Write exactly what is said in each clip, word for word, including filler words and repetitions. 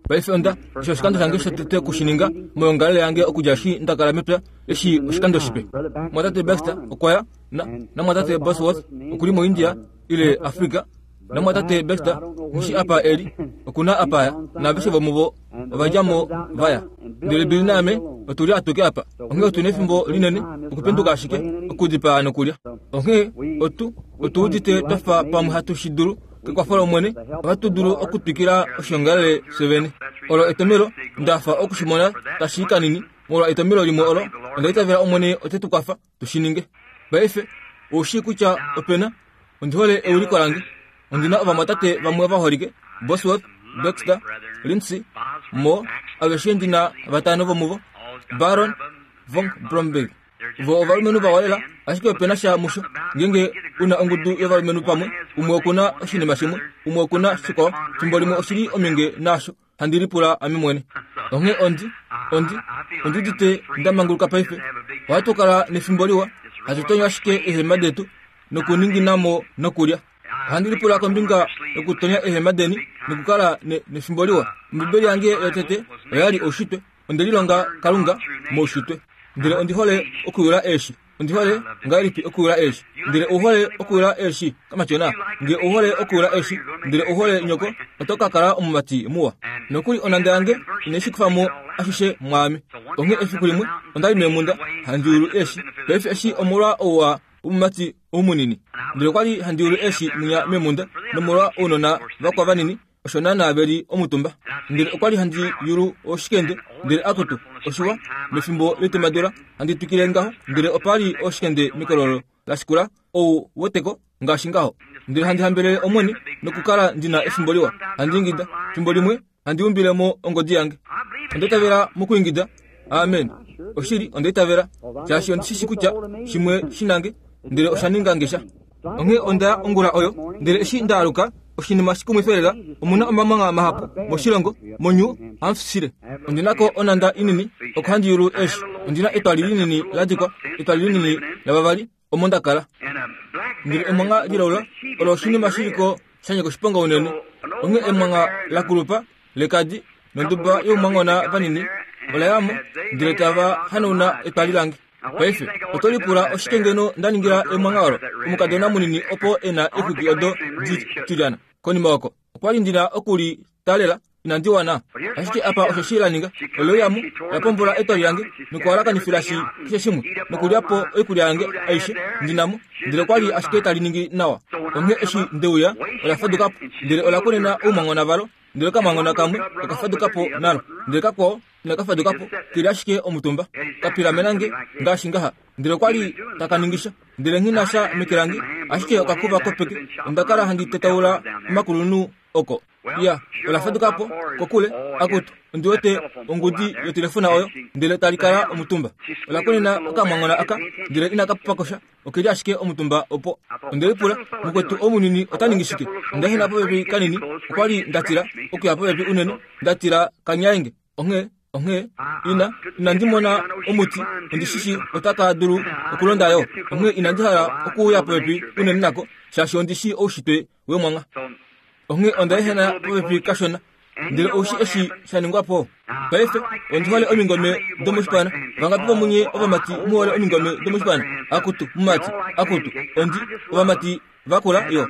Paife onda eshi oshikando shange shotete okushininga moyongalele yange okudja eshi nda kala mepya eshi oshikando shipe. Mwatate Baxter okwa ya na namwatate Bosworth okuli moIndia ile Afrika. Namwatate Baxter nghishi apa eli okuna apa ya naaveshe vomuvo ova mo vaya. Ndele Billy naame otuli atuke apa. Onghee otu nefimbo linene okupenduka ashike okudipaa nokulya. Onghee otu otu udite twafa pamwe hatu shi dulu kekwafo lOmwene ohatu dulu okutwikila oshiongalele fyevene. Olo etomelo ndafa okushimona tashi kanini molwa etomelo limwe olo onda itavela Omwene ote tu kwafa tu shi ninge. Paife oushii kutya opena ondi hole euliko lange. Ondina ovamwatate vamwe vaholike Bosworth, Baxter, Lindsay, Moore, aveshe ndina vatano vomuvo, Baron von Blomberg. Vo ovalumenhu vawa lela, ashike opena sha musho. Ngeenge una ongudu yovalumenhu pamwe, umwe okuna oshinima shimwe, umwe okuna shikwao, fimbo limwe oshili ominge naasho handi lipula ame mwene. Onghee ondi ondi ondi udite nda manguluka paife. Ohatu kala nefimbo liwa, hatu tonyo ashike eehema detu nokuninginamo nokulya. Ohandi lipula kombinga yokutonya eehema deni nokukala nefimbo liwa. Ombibeli yange yotete oyali oushitwe. Onde lilonga Kalunga moushitwe. Ndele ondi hole okuyula eeshi. Ondi hole ngahelipi okuyula eeshi. Ndele ou hole okuyula eeshi kamatyona. Nge ou hole okuyula eeshi, ndele ou hole nyoko, oto ka kala omumati muwa. Nokuli onanda yange inai kufa mo ashishe mwaame. Onghee efiku limwe onda li meemunda handi yulu eeshi. Paife eshi omolwa ouwa womumati oumunini. Ndele okwali handi yulu eeshi mwinya meemunda nomolwa ounona vakwa vanini osho naana veli omutumba. Ndele okwali handi yulu oshikende ndele akutu oshiwa mefimbo letemadula handi twikile ngaho ndele opali oshikende mekololo lashikula ou weteko ngaashi ngaho. Ndele handi hambelele Omwene nokukala ndina efimbo liwa. Handi ingida fimbo limwe handi umbile mo ongodi yange. Onda itavela mokuingida. Amen. Oshili onda itavela shaashi ondi shishi kutya shimwe shinange ndele osha ninga ngesha. Onghee onda ongula oyo ndele eshi nda aluka oshinima shikumwifa lela omuna omamwanga mahapu moshilongo moNew Hampshire. Ondinako onanda inini oko handi yulu eeshi. Ondina etwali linini la dikwa, etwali linini lavavali omo nda kala. Ndele emwanga lilaula olo oshinima shiliko sha nyika oshiponga unene. Onghee emwanga la kulupa lekadi nonduba youmwangona vanini ola yamo ndele tava hanauna etwali lange. Paife oto lipula oshike ngeno nda ningila emwanga olo omukadona munini opo ena exwiki odo ditilyana. Konima oko okwali ndina okuli talela inandi wana. Ashike apa osho shi la ninga ole yamo la pombola etwali lange nokuhalakanifila shi keshe shimwe nokulya po oikulya yange aishe ndinamo. Ndele okwali ashike tali ningi nawa. Onghee eshi ndeuya ola faduka po ndele ola konena oumwangona valo ndele okamwangona kamwe oka faduka po nalo ndele kakwao inaka faduka po keli ashike omutumba kapilamena nge ngaashi ngaha. Ndele okwali taka ningisha ndele nghina sha meke lange ashike okakuva kopeke. Onda kala handi tetaula omakulunhu oko. Ya, ola faduka po kokule akutu ondi wete ongudi yotelefona oyo ndele tali kala omutumba. Ola konena okamwangona aka ndele inaka pakosha okeli ashike omutumba opo. Onde lipula mukwetu omunini ota ningi shike. Onda hena popepi kanini okwali ndatila okuya popepi unene ndatila kanyaenge. Onghee onghee ina inandi mona omuti ondi shishi otaka dulu okulonda yo. Onghee inandi hala okuuya popepi unene nako shaashi ondi shi oushitwe wemwanga. Onghee onda ehena popepi kashona ndele oushi eshi sha ningwa po. Paife ondi hole omingome domoshipana. Vangapi vomunye ovamati muhole omingome domoshipana? Akutu mumati akutu ondi ovamati vakula yo.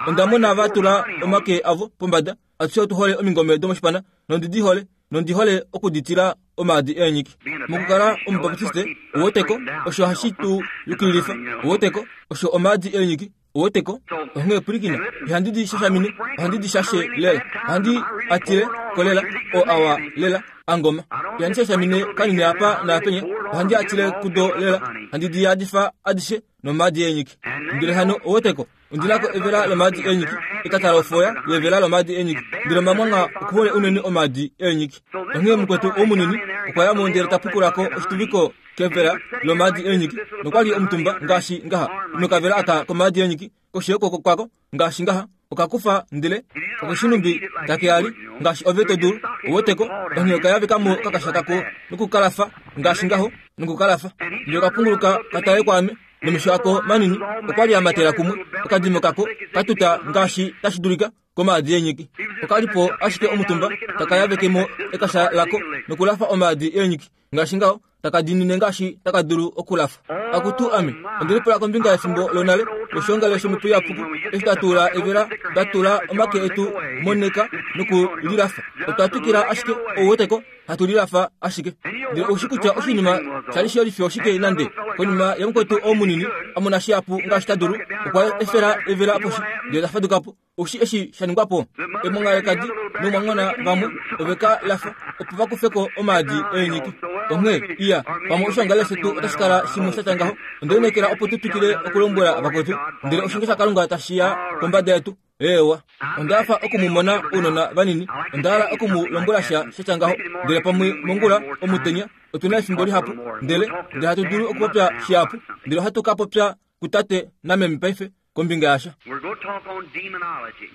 Onda mona va tula omake avo pombada. Atushe otu hole omingome domoshipana nondi di hole nondi hole okuditila omaadi eenyiki. Mokukala omubaptiste oweteko osho hashi tu yukililifa oweteko osho omaadi eenyiki oweteko. Onghee pwilikina ihandi di shashamine ohandi di shashe lela ohandi atile kolela o awa lela angoma. Ihandi shashamine kanini apa naapenya ohandi atile kudo lela handi di yadifa adishe nomaadi eenyiki. Ndele hano oweteko ondinako evela lomaadi eenyiki etata lofoya yevela lomaadi eenyiki. Ndele omamwanga okuhole unene omaadi eenyiki. Onghee mukwetu omunini okwa ya mo ndele ta pukulako oshituviko kevela lomaadi eenyiki nokwali omutumba ngaashi ngaha nokavela aka komaadi eenyiki koshi yokwooko kwako ngaashi ngaha okakufa ndele okoshinumbi takeali ngaashi ove to dulu oweteko. Onghee okayavekamo kakasha kako nokukalafa ngaashi ngaho nokukalafa. Ndele okapunguluka katale kwaame nomesho ako manini okwali amatela kumwe okadimo kako katuta ngaashi tashi dulika. komaadi eenyiki. Oka li po ashike omutumba taka yaveke mo ekasha lako nokulafa omaadi eenyiki ngaashi ngaho taka dinine ngaashi taka dulu okulafa. Akutu ame ondili pula kombinga yefimbo lonale loshongale shomhepo iyapuki eshi twa evela twa tula omake etu moneka nokulilafa. Otwa twikila ashike ouweteko hatu lilafa ashike. Ndele oushi kutya oshinima shali shelifi oshike nande konima yamukwetu omunini amona shihapu ngaashi ta dulu okwa efela evela poshi ndele ta fadukapo. Oushi eshi sha ningwapo emwangalekadi nomwangona vamwe oveka lafa opo vakufeko omaadi eenyiki. Onghee iya pamwe oshongale shetu otashi kala shimwe shatya ngaho. Onde opo tu twikile okulombwela vakwetu ndele oshinge shaKalunga tashi ya kombada yetu. Ewa ondafa okumumona ounona vanini ondahala okumulombwela sha shatya ngaho ndele pamwe mongula omutenya otuna efimbo lihapu ndele ndele hatu dulu okupopya shihapu ndele ohatu ka popya kutate nameme paife kombinga yasha.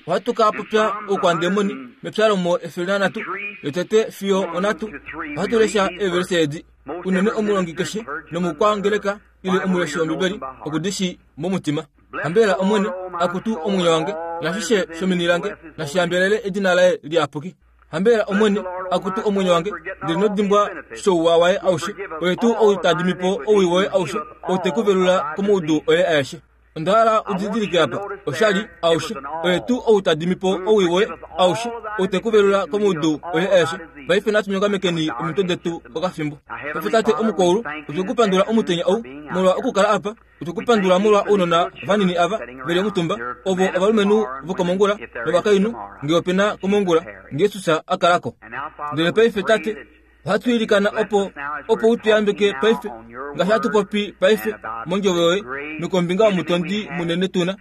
Ohatu ka popya oukwandemoni mepyalomo efele nanhatu yotete fiyo onhatu. Ohatu lesha eevelise edi unene omulongi keshe nomukwangeleka ile omuleshi wOmbibeli okudishi momutima. Hambela Omwene akutu omwenyo wange nashishe shomeni lange nashihambelele edina laye liyapuki. Hambela Omwene akutu omwenyo wange ndele nodimbwa shouwa waye aushe oye tuu ou tadimipo owii woye aushe ou tekuvelula komaudu oye aeshe. Ondahala udidilike apa oshali aushe oye tuu ou tadimipo owii woye aushe ou tekuvelula komaudu oye aeshe. Paife natu nyongamekeni omitwe detu okafimbo. Paife Tate omukwaulu otwekupandula omutenya ou molwa okukala apa. Otwekupandula molwa ounona vanini ava veli omutumba ovo ovalumenhu vokomongula novakainhu ngee opena komongula ngee Jesus akalako. Ndele paife Tate ohatu ilikana opo opo utuyambeke paife ngaashi hatu popi paife mondjovo yoye nokombinga yomutondi munene tuna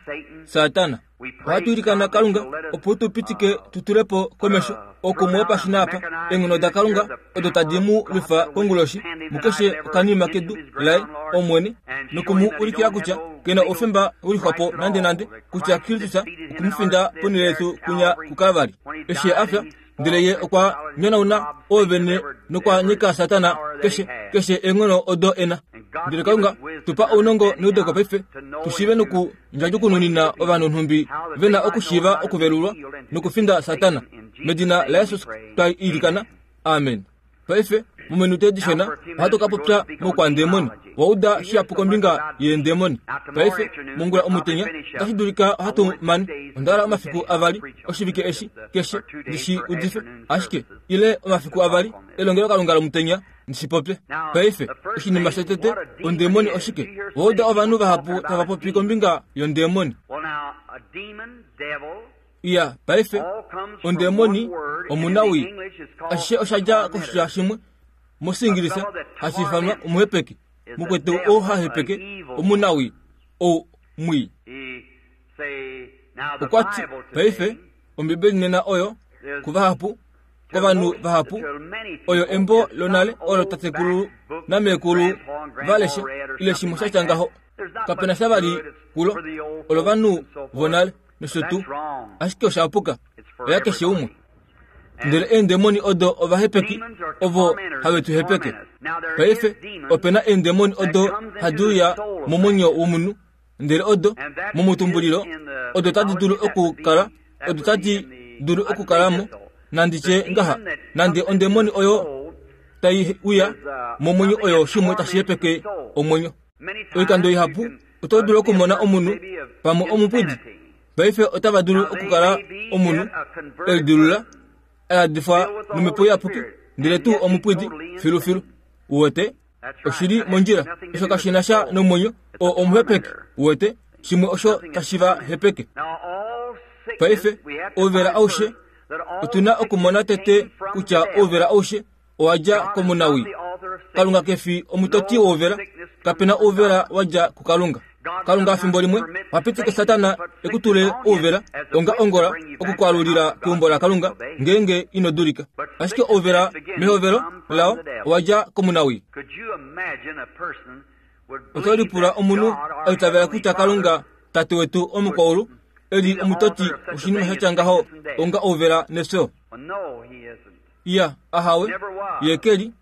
Satana. Ohatu ilikana Kalunga opo tu pitike tu tulepo komesho okumwopa apa eenghono daKalunga odo tadi mu lwifa konguloshi mukeshe okanima kedu laye Omwene nokumu ulikila kutya kena oufemba ulixwapo nande nande kutya Kristus okumufinda ponhele yetu kunya kuKalvari. Eshi afya ndele ye okwa nyonauna oovene nokwa nyika Satana keshe keshe eenghono odo ena. Ndele Kalunga tupa ounongo neudeko paife tushiive noku ndjadjukununina ovanhu nhumbi vena okushiiva okuvelulwa nokufinda Satana. Medina laJesus twa ilikana. Amen. Paife mominute edishona ohatu ka popya moukwandemoni wauda shihapu kombinga yeendemoni. Paife mongula omutenya otashi dulika ohatu mane ondahala omafiku avali oshivike eshi keshe ndishi udife ashike ile omafiku avali elongelokalunga lomutenya ndishipopye. Paife oshinima shotete ondemoni oshike? Wauda ovanhu vahapu tava popi kombinga yondemoni. Iya paife ondemoni omunawi ashishe oshadja koshitya shimwe mosingilisa hashi ifanwa omuhepeke mukwetu ou hahepeke omunawi ou mwii. Okwati paife Ombibeli nena oyo kuvahapu kovanhu vahapu oyo embo lonale olo tatekulu namekulu valeshe ile shimwe shatya ngaho. Kapena sha vali kulo olo vanhu vonale nosho tuu ashike oshapuka oya keshe umwe. Ndele eendemoni odo ovahepeki ovo have tu hepeke. Paife opena eendemoni odo hadi uya momwenyo womunhu ndele odo momutumbulilo odo tadi dulu okukala odo tadi dulu okukalamo nanditye ngaha nande ondemoni oyo tai uya momwenyo oyo shimwe tashi hepeke omwenyo. Oikando ihapu oto dulu okumona omunhu pamwe omupwidi. Paife otava dulu okukala omunhu elidilula aladifwa nomhepo iyapuki ndele tuu omupwidi filufilu. Uwete oshili mondjila osho kashina sha nomwenyo o omuhepeke. Uwete shimwe osho tashi va hepeke. Paife ouvela aushe otuna okumona tete kutya ouvela aushe owadja komunawi. Kalunga kefi omutoti wouvela. Kapena ouvela wadja kuKalunga. Kalunga fimbo limwe wapitike Satana ekutule ouvela onga ongola okukwalulila keumbo laKalunga ngeenge ino dulika. Ashike ouvela mehovelo lao owadja komunawi. Oto lipula omunhu aitavela kutya Kalunga Tate wetu omukwaulu eli omutoti oshinima shatya ngaho onga ouvela nefyo. Iya ahawe ye keli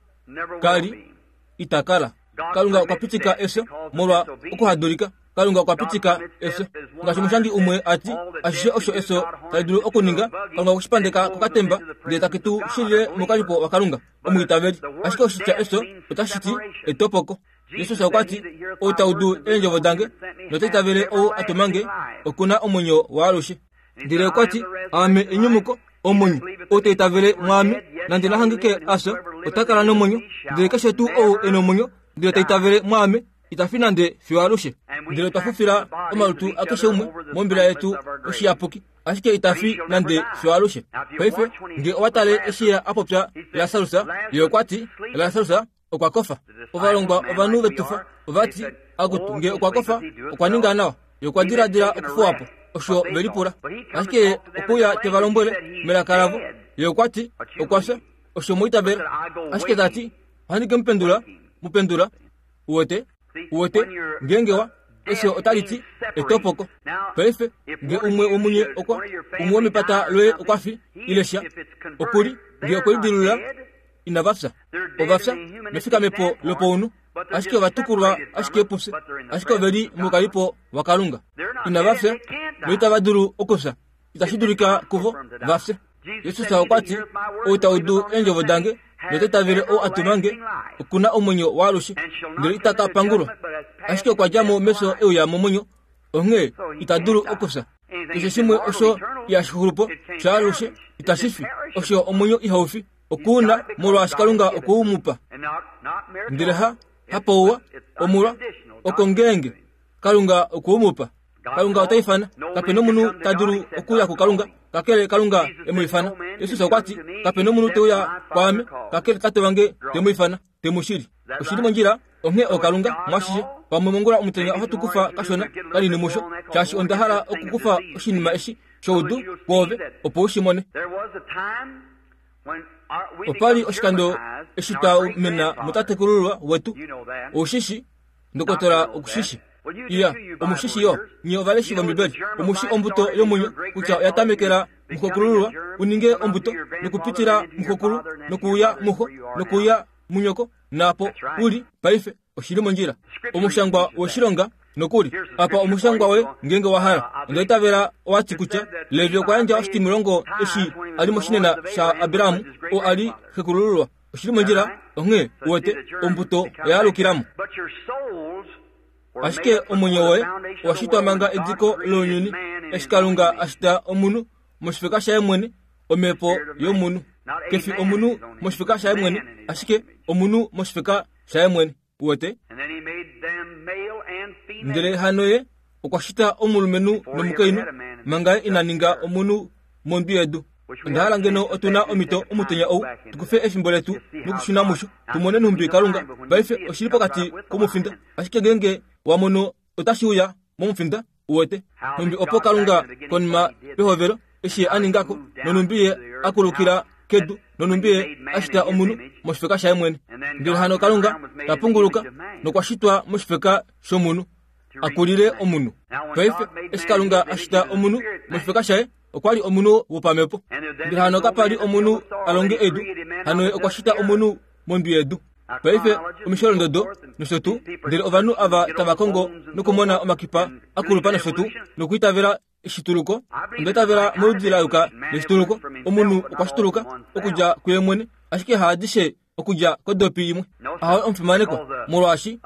kali itakala. Kalunga okwa pitika efyo molwa okuhadulika. Kalunga okwa pitika efyo. Ngaashi omushangi umwe a ti, ashishe osho efyo tali dulu okuninga, Kalunga okwe shi pandeka kokatemba ndele take tu shilile mokalipo waKalunga, omwiitaveli. Ashike oshitya efyo otashi ti etopoko. Jesus okwa ti, ou ta udu eendjovo dange nota itavele ou a tuma nge, oku na omwenyo waalushe. Ndele okwa ti, aame enyumuko, omwenyo. Ou ta itavele mwaame, nande na hangike a fya, ota kala nomwenyo. Ndele keshe tuu ou e nomwenyo, ndele ta itavele mwaame, ita fi nande fiyo alushe. Ndele otwa fufila omalutu akeshe umwe mombila yetu oshiyapuki, ashike ita fi nande fiyo alushe. Paife nge owa tale eshi a popya Lasarus, ye okwa ti, Lasarus okwa kofa. Ovalongwa ovanhu vetufa ova ti, akutu nge okwa kofa, okwa ninga nawa. Ye okwa diladila okufuwa po, osho ve lipula. Ashike ye okuya te va lombwele melaka lavo, ye okwa ti, okwa fya, osho mu itavela. Ashike ta ti, ohandi ke mu pendula, mu pendula. Uwete, uwete, ngeenge wa, efyo otali ti etopoko. Paife nge umwe womunye okwa, umwe womepata loye okwa fi, ile sha, okuli, nge okwe lidilulula, inava fya. Ova fya mefikamepo lopounhu, ashike ova tukulwa ashike pufye, ashike ove li mokalipo waKalunga. Inava fya, noitava dulu okufya. Itashi dulika kuvo va fye. Jesus okwa ti, ou ta udu eendjovo dange nota itavele ou a tuma nge, oku na omwenyo waalushe, ndele ita ka pangulwa. Ashike okwa dja mo mefyo e uya momwenyo, onghee ita dulu okufya. Keshe shimwe osho ihashi xulu po shaalushe itashi fi, osho omwenyo ihau fi, oku na, molwaashi Kalunga okwe u mu pa. Ndele ha, hapouwa, omolwa, oko ngeenge Kalunga okwe u mu pa. Kalunga ota ifana, kape nomunhu ta dulu okuya kuKalunga, kakele Kalunga e mu ifana. Jesus okwa ti, kape nomunhu te uya kwaame, kakele Tate wange te mu ifana, te mu shili. Oshili mondjila, onghee oKalunga mwashishe. Pamwe mongula omutenya ohatu kufa kashona kanini musho, shaashi onda hala okukufa oshinima eshi shoudu kwoove, opo u shi mone. Opa li oshikando eshi twa mena mutatekulululwa wetu, oushishi, ndokotola okushishi. Iya, omushishi yo, nye ovaleshi vOmbibeli, omushi ombuto yomwenyo kutya oya tamekela muxokulululwa u ninge ombuto nokupitila muxokulu nokuuya muxo nokuuya munyoko, naapo u li paife oshili mondjila. Omushangwa woshilonga nokuli apa omushangwa we ngeenge wa hala. Onda itavela owa ti kutya Levi okwa yandja oshitimulongo eshi a li moshinena shaAbraham, oo a li xekulululwa. Oshili mondjila, onghee uwete ombuto oya alukilamo. Ashike omwenyo woye owa shitwa manga ediko lounyuni, eshi Kalunga a shita omunhu moshifeka shaye mwene, omhepo yomunhu. Kefi omunhu moshifeka shaye mwene, ashike omunhu moshifeka shaye mwene. Uwete? Ndele hano ye okwa shita omulumenhu nomukainhu manga ye ina ninga omunhu mondwi yedu. Onda hala ngeno otu na omhito omutenya ou tukufe efimbo letu nokushuna musho, tumone nhumbi Kalunga paife oshili pokati komufinda. Ashike ngeenge wa mono otashi uya momufinda, uwete, nhumbi opo Kalunga konima pehovelo eshi ye a ningako, nonhumbi ye a kulukila kedu, nonhumbi ye a shita omunhu moshifeka shaye mwene. Ndele hano Kalunga ta punguluka nokwa shitwa moshifeka shomunhu, a kulile omunhu. Paife eshi Kalunga a shita omunhu moshifeka shaye, okwa li omunhu wopamhepo. Ndele hano kapa li omunhu a longe edu, hano ye okwa shita omunhu mondwi yedu. Paife omisholondodo nosho tuu, ndele ovanhu ava tava kongo nokumona omakipa akulupa nosho tuu, nokwiitavela eshituluko. Onda itavela moludi la yuka leshituluko. Omunhu okwa shituluka okudja kuye mwene, ashike haadishe okudja kodopi imwe. Ahowe omufimanekwa, molwaashi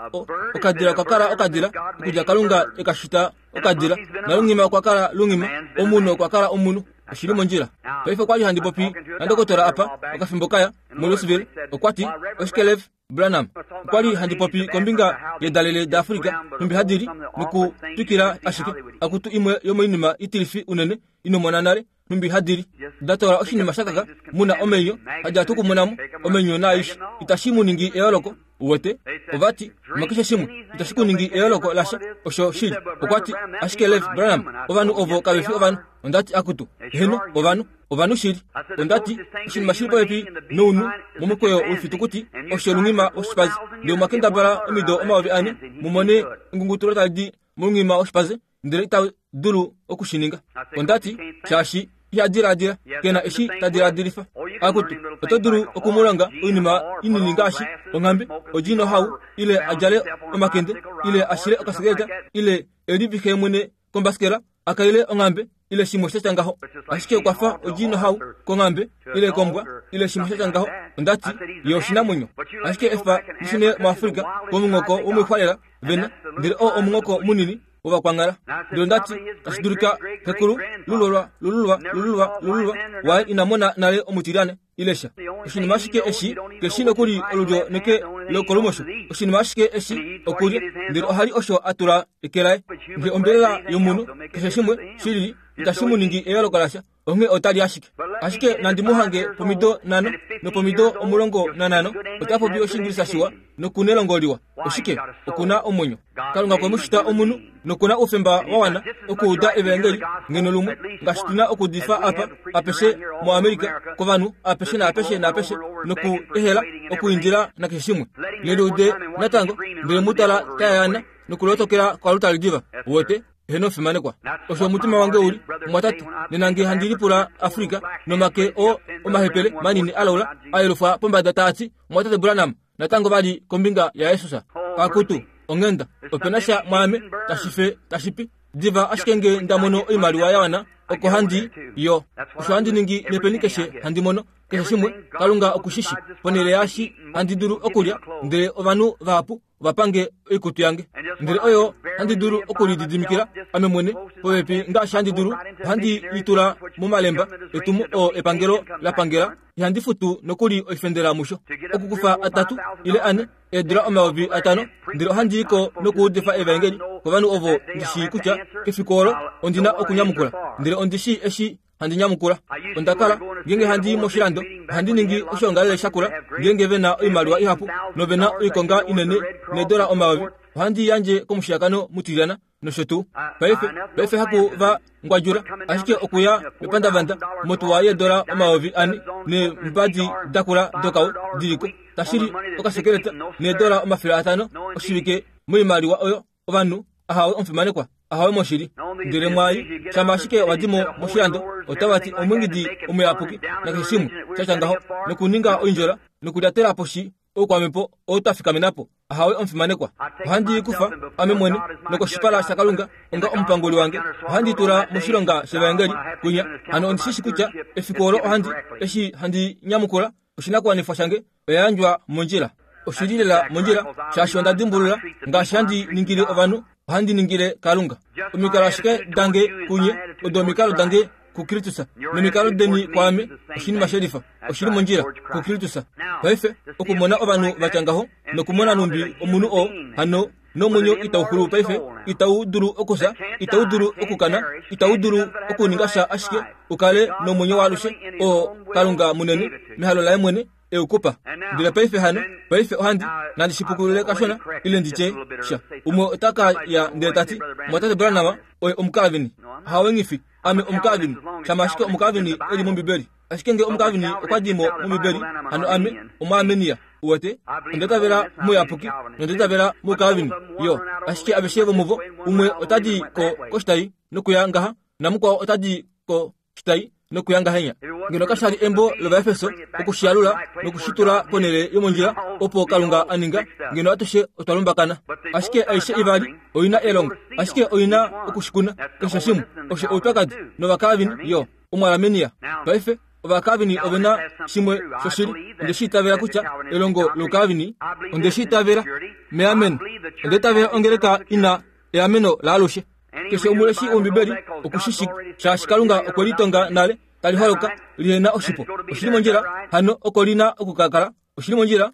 okadila okwa kala okadila okudja Kalunga e ka shita okadila, nalunghima okwa kala lunghima, omunhu okwa kala omunhu. Oshili mondjila. Paife okwa li handi popi nandokotola apa okafimbo kaya moLouisville, okwa ti, oshike Lev Branham? Okwa li handi popi kombinga yedalele daAfrika nhumbi hadi li nokutwikila ashike akutu imwe yomoinima itilifi unene inomona nale nhumbi hadi li. Da tola oshinima shakaka muna omenyo hadi atu kumonamo omenyo naaishe, itashi mu ningi eyooloko. Uwete? Ova ti, makeshe shimwe itashi ku ningi eyooloko lasha, osho shili. Okwa ti, ashike Lev Branham, ovanhu ovo kave fi ovanhu. Onda ti, akutu, heno, ovanhu, ovanhu shili. Onda ti, oshinima shili popepi nounhu momukweyo wefitukuti osho lunghima woshipaze. Ndele omwa kendabala omido omayovi ane mu mone engungutulo tali di molunghima woshipaze, ndele ita dulu okushininga. Onda ti, shaashi Iha diladila kena eshi ta diladilifa. Akutu oto dulu okumulonga oinima inini ngaashi onghambe, odjino hau, ile a djale omakende, ile a shile okasekeleta, ile e livixe mwene kombasikela, a kaile onghambe, ile shimwe sha tya ngaho. Ashike okwa fa odjino hau konghambe, ile kombwa, ile shimwe sha tya ngaho. Ondati ye oshinamwenyo. Ashike efa lishune muAfrika komunghoko womoixwalela vena, ndele oo omunghoko munini wovakwanghala. Ndele ondati tashi dulika xekulu lululwa lululwa lululwa lululwa waye ina mona nale omutilyane ile sha. Oshinima ashike eshi keshi nokuli olulyo neke lokolumosho. Oshinima ashike eshi okulya, ndele ohali osho a tula eke laye. Nge ombelela yomunhu keshe shimwe shilili itashi mu ningi eyooloko lasha, onghee otali ashike. Ashike nandi mu hange pomido nhano nopomido omulongo nanhano, ota popi Oshiingilisa shiwa nokunelongo liwa. Oshike? Okuna omwenyo. Kalunga okwe mu shita omunhu nokuna oufemba wa wana okuuda evaengeli ngeno lumwe, ngaashi tuna okuudifa apa apeshe muAmerika kovanhu apeshe naapeshe naapeshe, noku ehela okuindila nakeshe shimwe. Neliude natango, ndele mu tala tayayana nokulotokela kwalutali diva. Uwete? Eheno omufimanekwa. Osho omutima wange uli, mwatate, nena nge handi lipula Afrika nomake oo omahepele manini alaula a yelufwa pombada taati, mwatate Branham, natango vali kombinga yaJesus. Akutu, onghenda, opena sha mwaame tashi fe tashi pi. Diva ashike nge nda mono oimaliwa ya wana, oko handi yo. Osho handi ningi nepeni keshe handi mono, keshe shimwe, Kalunga okushishi, ponhele yaashi handi dulu okulya, ndele ovanhu vahapu ovapange oikutu yange. Ndele oyo handi dulu okulididimikila ame mwene popepi ngaashi handi dulu, ohandi litula momalemba etumo oo epangelo la pangela, ihandi futu nokuli oifendela musho. Okukufa atatu ile ane eedula omayovi atano, ndele ohandi iko nokuudifa evaengeli kovanhu ovo ndi shii kutya kefiku olo ondina okunyamukula, ndele ondi shii eshi handi nyamukula. Onda kala ngeenge handi i moshilando, ohandi ningi oshoongalele shakula ngeenge ve na oimaliwa ihapu nove na oikonga inene needola omayovi, ohandi yandje komushiyakano mutilyana nosho tuu. Paife, paife haku va ngwadjula, ashike okuya mepandavanda motuwa yeedola omayovi ane neembadi dakula dokau diliko, tashili okasekeleta needola omafele atano oshivike moimaliwa oyo ovanhu ahawe omufimanekwa, ahawe moshili. Ndele mwai shama ashike wadimo moshilando, otava ti omwingidi omuyapuki nakeshe shimwe sha tya ngaho, nokuninga oindjola nokulyatela poshi oukwamhepo oo twa fikamena po. Ahawe omufimanekwa. Ohandi kufa ame mwene nokoshipala shaKalunga onga omupanguli wange, ohandi tula moshilonga shevaengeli kwinya. Hano ondi shishi kutya efiku olo ohandi eshi handi nyamukula oshinakuwanifwa shange oya yandjwa mondjila. Oshili lela mondjila, shaashi onda dimbulula ngaashi handi ningile ovanhu, ohandi ningile Kalunga. Omikalo ashike dange kunye odo omikalo dange kuKristus, nomikalo deni kwaame oshinima shelifa, oshili mondjila kuKristus. Paife okumona ovanhu vatya ngaho nokumona numbi omunhu oo hano nomwenyo itau xulu paife, itau dulu okufya, itau dulu okukana, itau dulu okuninga sha ashike ukale nomwenyo waalushe oo Kalunga munene mehalo laye mwene eukupa. Ndele paife hano, paife ohandi nandi shipukulule kashona ile nditye sha. Umwe ota ka ya ndele tati, mwatate Branham oye omukalvini. Hawengifi, ame omukalvini, shama ashike omukalvini eli mOmbibeli. Ashike nge omukalvini okwa di mo mOmbibeli, hano ame omuarmenia. Uwete? Onda itavela muyapuki nonda itavela mukalvini yo. Ashike aveshe vomuvo, umwe ota di ko koshitai nokuya ngaha, namukwao ota di ko shitai nokuya ngahenya. Ngeno kashali embo lOvaefeso okushiyalula nokushitula ponhele yomondjila opo Kalunga a ninga, ngeno atushe otwa lumbakana. Ashike aishe ivali oina elongo, ashike oina okushikuna keshe shimwe. Osho oupyakadi nOvakalvini yo Omuarmenia. Paife Ovakalvini ove na shimwe shoshili. Onde shi itavela kutya elongo loukalvini, onde shi itavela meameno. Onde itavela ongeleka ina eameno laalushe. Keshe omuleshi wOmbibeli okushishi, shaashi Kalunga okwe litonga nale tali holoka lihena oshipo. Oshili mondjila, hano oko lina okukakala. Oshili mondjila.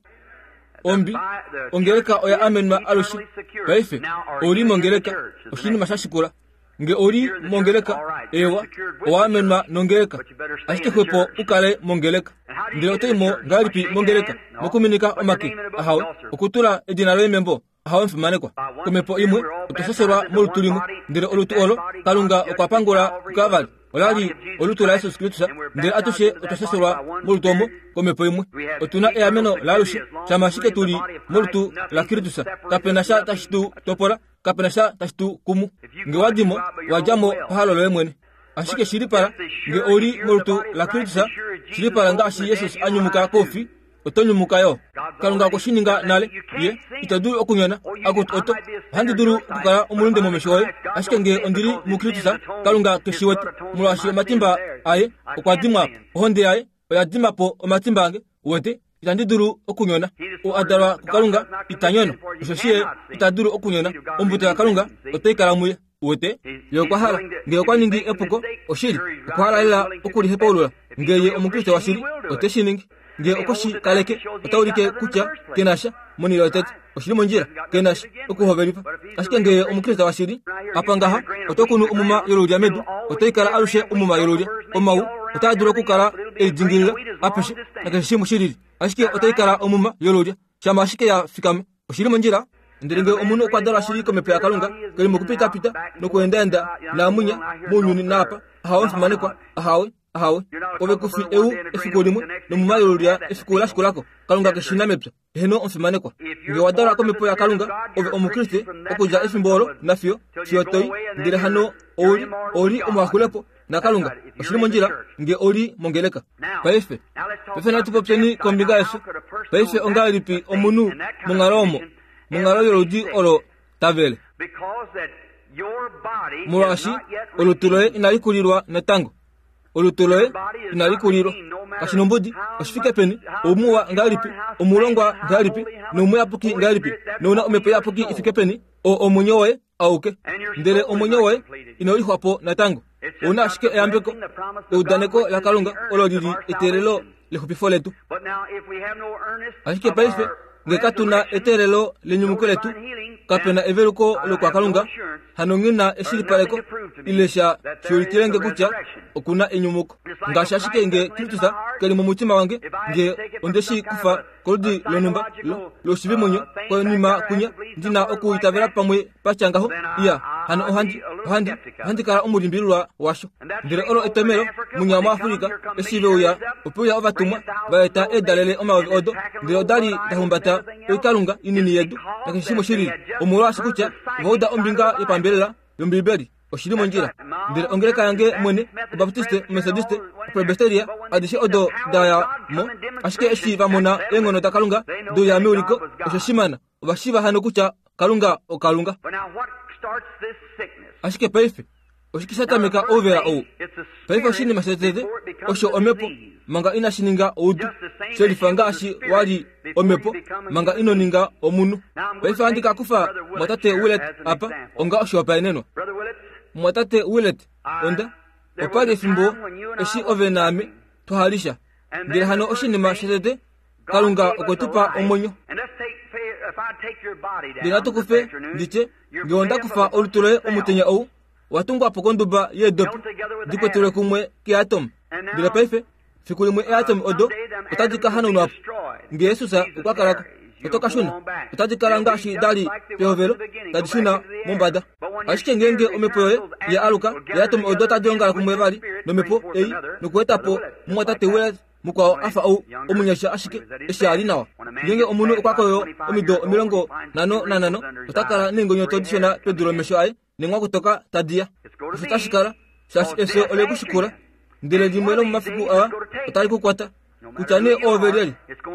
Ombi ongeleka oya amenwa alushe. Paife ouli mongeleka, oshinima sha shikula. Nge ouli mongeleka, ewa, owa amenwa nongeleka. Ashike xwepo ukale mongeleka. Ndele oto imo ngahelipi mongeleka? Mokuminika omake, ahawe, okutula edina loye membo, ahawe omufimanekwa. Komhepo imwe otwa shashelwa molutu limwe, ndele olutu olo Kalunga okwa pangula kuKalvari olali olutu laJesus Kristus, ndele atushe otwa shashelwa molutu omo komhepo imwe. Otuna eameno laalushe, shama ashike tuli molutu laKristus. Kapena sha tashi tu topola, kapena sha tashi tu kumu. Nge wadimo, wadja mo pahalo loye mwene. Ashike shilipala nge ouli molutu laKristus, shilipala ngaashi Jesus a nyumuka koufi, oto nyumuka yo. Kalunga okwe shi ninga nale, ye ito dulu okunyona. Akutu oto, ohandi dulu okukala omulunde momesho oye, ashike nge ondili muKristus, Kalunga keshi wete, molwaashi omatimba aye okwa dimwa po, ohonde yaye oya dima po omatimba ange. Uwete, itandi dulu okunyona. Ou a dalwa kuKalunga ita nyono, osheshi ye ita dulu okunyona. Ombuto yaKalunga otai kala muye. Uwete, ye okwa hala, nge okwa ningi epuko, oshili, okwa hala lela okulihepaulula. Nge ye Omukriste washili, ote shi ningi. Nge okwe shi kaleke, ota ulike kutya ke na sha monhele yotete. Oshili mondjila, ke na sha okuhovelifa. Ashike nge ye Omukriste washili, apa ngaha, oto kunu omuma yolulya medu, otai kala alushe omuma yolulya. Omau otaa dulu okukala elidingilila apeshe nakeshe shimwe shilili, ashike otai kala omuma yolulya shama ashike ya fikama. Oshili mondjila. Ndele nge omunhu okwa dalwa shili komhepo yaKalunga, keli mokupitapita nokuendaenda naamunya mounyuni naapa, ahawe omufimanekwa, ahawe, ahawe. Ove ku fi eu efiku limwe nomuma yolulya efiku la shikulako. Kalunga keshi na mepya. Eheno omufimanekwa. Nge wa dalwa komhepo yaKalunga, ove Omukriste okudja efimbo olo nafiyo fiyo toi, ndele hano ouli ouli omuhakulepo naKalunga. Oshili mondjila nge oli mongeleka. Paife, paife natu popyeni kombinga yefyo. Paife ongahelipi omunhu monghalo omo, monghalo yoludi olo tavele? Molwaashi olutu loye inali kulilwa natango. Olutu loye inali kulilwa. Kashi nombudi oshifike peni, oumuwa ngahelipi, omulongwa ngahelipi, nomuyapuki ngahelipi, nouna omhepo iyapuki ifike peni, oo omwenyo woye auke. Ndele omwenyo woye inau lixwa po natango. Ouna ashike eyambeko, eudaneko laKalunga olo lili eteelelo lexupifo letu. Ashike paife nge katu na eteelelo lenyumuko letu, kape na eveluko lokwaKalunga, hano nghi na eshilipaleko ile sha shiulikile kutya oku na enyumuko. Ngaashi ashike nge Kristus ke li momutima wange, nge onde shi kufa koludi lonhumba loshivimwenyo konima kunya, ndi na okuitavela pamwe patya ngaho, iya, hano ohandi, ohandi, ohandi kala omulimbililwa washo. Ndele olo etomelo munya muAfrika eshi veuya, ope uya ovatumwa va eta eedalele omayovi odo, ndele odali da humbata oikalunga inini yedu nakeshe shimwe shilili, omolwaashi kutya ova uda ombinga yopambelela yOmbiibeli. Oshili mondjila. Ndele ongeleka yange mwene, Obaptiste, Omethodiste, Opresbyteria, adishe odo da ya mo, ashike eshi va mona eenghono daKalunga deuya meuliko, osho shimana, ova shiiva hano kutya Kalunga oKalunga. Ashike paife, oshike sha tameka ouvela ou? Paife oshinima shotete osho omhepo manga inashi ninga oudu, shelifa ngaashi wa li omhepo manga ino ninga omunhu. Paife ohandi ka kufa mwatate Willett apa onga oshihopaenenwa. Mwatate Willett, onda opa li efimbo eshi ove naame twahalisha, ndele hano oshinima shotete Kalunga okwe tu pa omwenyo. Ndele natu kufe nditye, nge onda kufa olutu loye omutenya ou, wa tungwa po konduba yeedopi di kwetelwe kumwe keatomu. Ndele paife, fiku limwe eatomu odo otadi ka hanaunwa po. Nge Jesus okwa kalako, oto ka shuna, otadi kala ngaashi da li pehovelo, tadi shuna mombada. Ashike ngeenge omhepo yoye ya aluka, eatomu odo tadi ongala kumwe vali nomhepo ei nokueta po mumwatate Willett mukwao afa ou omunyasha ashike eshi a li nawa. Ngeenge omunhu okwa koyo omido omilongo nhano nanhano, ota kala neengonyoto dishona pedu lomesho aye nenghwakutoka tadi ya. Osho tashi kala, shaashi efyo ole ku shikula, ndele limwe lomomafiku aa otali ku kwata. Kutya nee oove lyelye,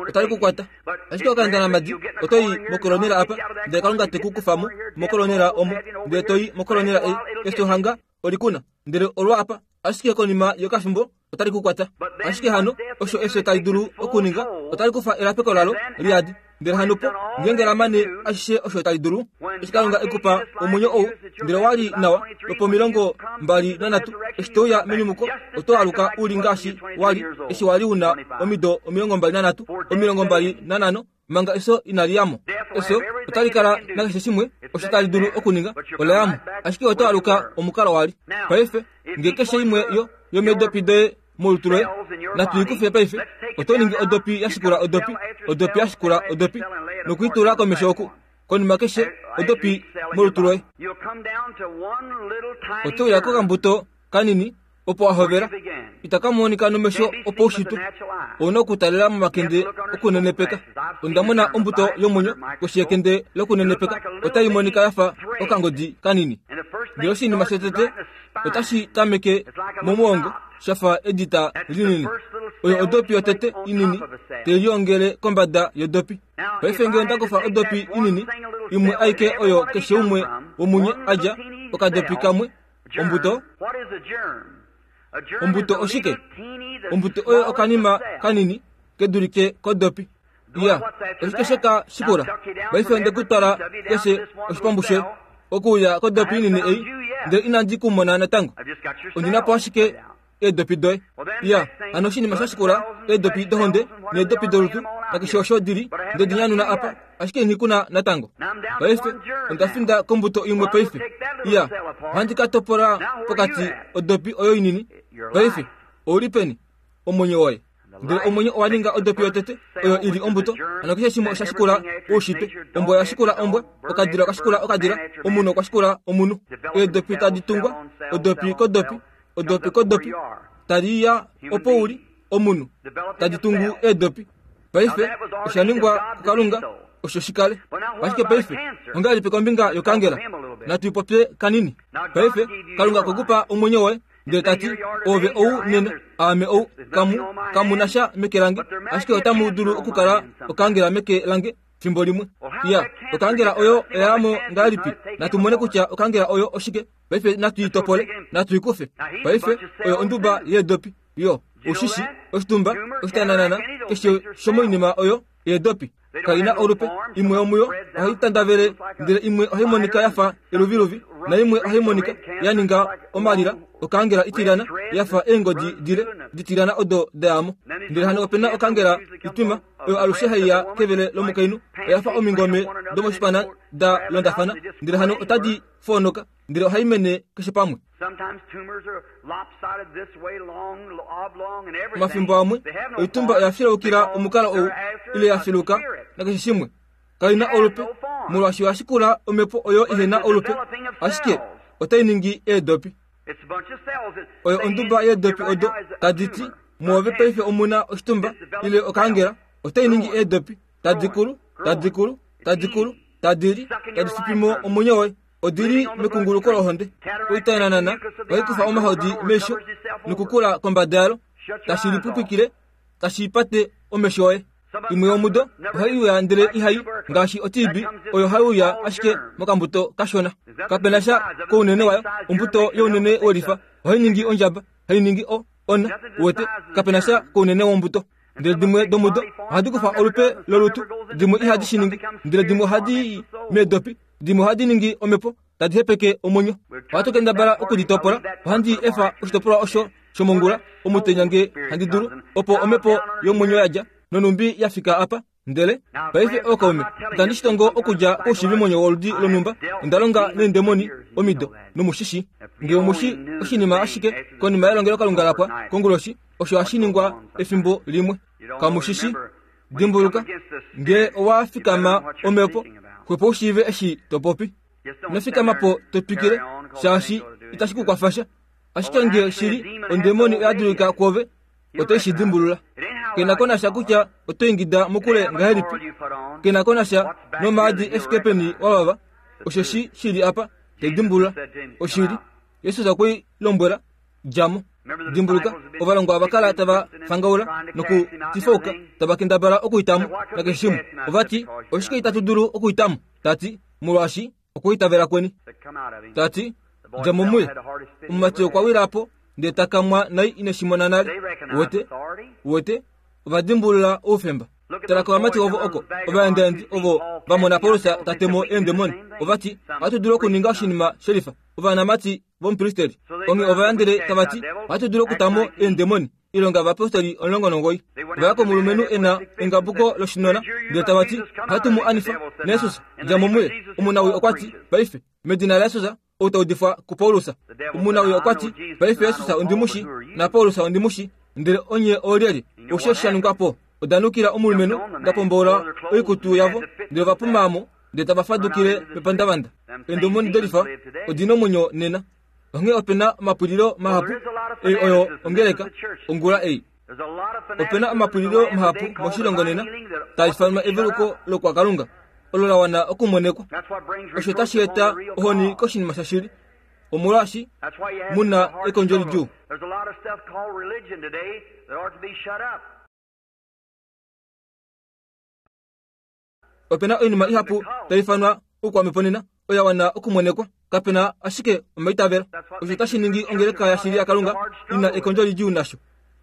otali ku kwata. Ashike okaendanamadi oto i mokolonela apa, ndele Kalunga te ku kufa mo mokolonela omo, ndele to i mokolonela ei, efyo hanga oli ku na, ndele olwa apa, ashike konima yokafimbo otali ku kwata. Ashike hano osho efyo tali dulu okuninga, otali kufa elapeko lalo liyadi. Ndele hano po, ngeenge la mane ashishe osho tali dulu, eshi Kalunga e ku pa omwenyo ou, ndele wa li nawa lwopomilongo mbali nanhatu, eshi to uya menyumuko, oto aluka u li ngaashi wa li eshi wa li u na omido omilongo mbali nanhatu, omilongo mbali nanhano, manga efyo inali ya mo. Efyo otali kala nakeshe shimwe osho tali dulu okuninga, ola ya mo, ashike oto aluka omukalo wa li. Paife, nge keshe imwe yo yomeedopi doye molutu loye, natu i kufe paife, oto ningi odopi ya shikula odopi, odopi ya shikula odopi, nokuitula komesho oku, konima keshe odopi molutu loye. Oto uya kokambuto kanini opo wa hovela, itaka monika nomesho opaushitwe. Ouna okutalela momakende okunenepeka. Onda mona ombuto yomwenyo koshi yekende lokunenepeka, otai monika ya fa okangodi kanini. Ndele oshinima shotete otashi tameke momuongo shafa edita linini. Oyo odopi yotete inini tai liongele kombada yodopi. Paife ngee onda kufa odopi inini imwe aike oyo keshe umwe womunye adja okadopi kamwe, ombuto. Ombuto oshike? Ombuto oyo okanima kanini kedulike kodopi. Iya, oshike sheka shikula? Paife onde kutwala keshe oshipambu shoye okuuya kodopi inini ei, ndele inandi kumona natango. Ondina po ashike eedopi doye. Iya, hano oshinima sha shikula eedopi dohonde needopi dolutu nakeshe osho dili nde dinyanuna apa, ashike nghi kuna natango. Paife onda finda kombuto imwe paife. Iya, ohandi ka topola pokati odopi oyo inini. Paife ouli peni? Omwenyo woye. Ndele omwenyo owa ninga odopi yotete oyo ili ombuto. Hano keshe shimwe osha shikula oushitwe. Ombwa oya shikula ombwa, okadila oka shikula okadila, omunhu okwa shikula omunhu. Eedopi tadi tungwa, odopi kodopi, odopi kodopi, tadi ya opo uli omunhu, tadi tungu eedopi. Paife osha ningwa kuKalunga osho shikale. Ashike paife ongahelipi kombinga yokangela? Natu ipopye kanini. Paife Kalunga okwe omwenyo woye, ndele tati ove ou nena, aame ou, kamu kamuna sha meke lange, ashike otamu dulu okukala okangela meke lange fimbo limwe. Iya, okangela oyo oyamo ngahelipi? Natu mone kutya okangela oyo oshike. Paife natu itopole, natu ikufe. Paife oyo onduba yeedopi. Yo oshishi, oshitumba, oshitananana, keshe shomoinima oyo yeedopi kaina olupe. Imwe yomuyo ohai tandavele, ndele imwe ohai monika yafa eluviluvi, na imwe ohai monika ya ninga omalila okangela itilana yafa eengodi dile ditilana odo dayamo. Ndele hano opena okangela itwima oyo alushe haiya kevele lomukainhu, oyafa omingome domoshipana da londafana, ndele hano otadi foonoka, ndele ohai mene keshe pamwe. Omafimbo amwe oitumba oya filaukila omukalo ou ile ya filuka nakeshe shimwe. Kaina olupe molwaashi oya shikula omhepo oyo ihena olupe, ashike otai ningi eedopi. Oyo onduba yeedopi odo tadi ti muove paife omuna oshitumba ile okangela, otai ningi eedopi tadi kulu, tadi kulu, tadi kulu, tadi li, tadi fipimo omwenyo woye. Odili mekunguluko lohonde. Oitananana ohai kufa omahodi meisho nokukula kombada yalo, tashi lipupikile, tashi pate omesho oye. Imwe yomudo ohai uya ndele ihai ngaashi otibi oyo hai uya ashike mokambuto kashona. Kapena sha kounene wayo. Ombuto younene welifa ohai ningi ondjaba, hai ningi o ona wete. Kapena sha kounene wombuto. Ndele dimwe domudo ohadi kufa olupe lolutu, dimwe ihadi shi ningi, ndele dimwe ohadi meedopi, dimwe ohadi ningi omhepo tadi hepeke omwenyo. Ohatu kendabala okuditopola. Ohandi efa oshitopolwa osho shomongula omutenya nge handi dulu, opo omhepo yomwenyo yadja nonumbi yafika apa. Ndele paife ookaume, itandi shitongo okudja koushivimwenyo woludi lonhumba. Onda longa neendemoni omido nomushishi. Nge omushi oshinima ashike konima yelongelokalunga lapwa konguloshi, osho hashi ningwa efimbo limwe. Kamushishi, dimbuluka, nge owa fikama omhepo, xwepo ushiive eshi topopi. Ino po totwikile, shaashi itashi ku kwafasha. Ashike nge shili ondemoni oya dulika kwove, otai shi dimbulula. Kena ko nasha kutya oto ingida mokule ngahelipi, kena ko nasha nomaadi efike peni wavava, osheshi shili apa tai dimbulula. Oshili, Jesus okwe lombwela, djamo. Dimbuluka, ovalongwa ova kala tava fangaula nokutifauka, tava kendabala okuitamo nakeshe shimwe. Ovati, oshike itatu dulu okuitamo? Tati, molwaashi okuitavela kweni. Tati, djamo muye. Omumati okwa wila po ndele ta kamwa nai ineshimona nale. Wete, wete, ova dimbulula oufemba. Tala kovamati ovo oko, ovaendaendi ovo va mona Paulus ta temo eendemoni. Ovati, ohatu dulu okuninga oshinima shelifa. Ovanamati vomupristeli onge ova yandele tava ti, ohatu dulu okutamo eendemoni. Ilonga ovapostoli omulongo nomugoi. Ovaya komulumenhu ena engabuko loshinona, ndele tava ti, ohatu mu anifa naJesus, djamo muye. Omunawi okwa ti, paife medina laJesus ou ta udifwa kuPaulus. Omunawi okwa ti, paife Jesus ondimushi na Paulus ondimushi, ndele onye oolyelye? Osho sha ningwa po. Oda nukila omulumenhu, da pombola oikutu yavo, ndele va pumamo, ndele tava fadukile pepandavanda. Eendemoni delifa odina omwenyo nena. Onghee opena omapulilo mahapu ei oyo ongeleka ongula ei. Opena omapulilo mahapu moshilongo nena taa ifanwa eveluko lokwakalunga olo la wana okumonekwa. Osho tashi eta ohoni koshinima shashili. Omolwaashi muna ekondjo lidjuu. There's a lot of stuff called religion today that ought to be shut up. Opena oinima ihapu tai ifanwa oukwamhepo nena oya wana okumonekwa. Kapena ashike omaitavelo. Osho tashi ningi ongeleka yashili yaKalunga ina ekondjo lidjuu nasho.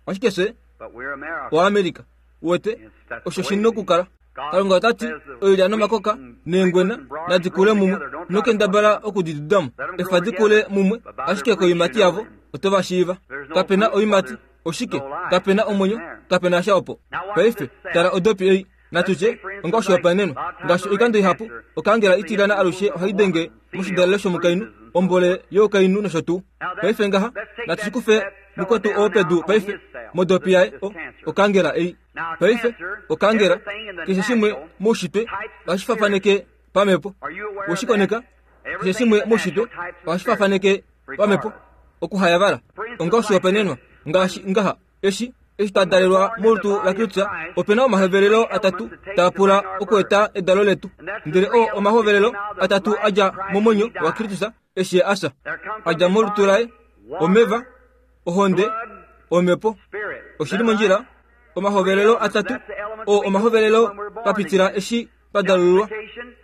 Ashike fye But we're America. oAmerica. Uwete osho shi na okukala. Kalunga ota ti oilya nomakoka neengwena nadi kule mumwe nokendabala okudidudamo. Efa di kule mumwe ashike koiimati yavo oto va shiiva. Kapena oiimati oshike? Kapena omwenyo, kapena sha opo. Paife tala odopi ei. Natutye onga oshihopaenenwa ngaashi oikando ihapu okaangela itilyana alushe ohai denge moshidalelo shomukainhu ombole youkainhu nosho tuu. Paife ngaha natu shi kufe mukwetu oo pedu paife modopi yaye o okaangela ei. Paife okaangela keshe shimwe moushitwe ohashi fafaneke pamhepo. Weshikoneka keshe shimwe moushitwe ohashi fafaneke pamhepo okuhayavala. Onga oshihopaenenwa ngaashi ngaha eshi eshi twa dalelwa molutu laKristus opena omahovelelo atatu taa pula okueta edalo letu. Ndele oo omahovelelo atatu a dja momwenyo waKristus eshi a fya. A dja molutu laye omeva, ohonde, omhepo. Oshili mondjila omahovelelo atatu oo omahovelelo twa pitila eshi twa dalululwa.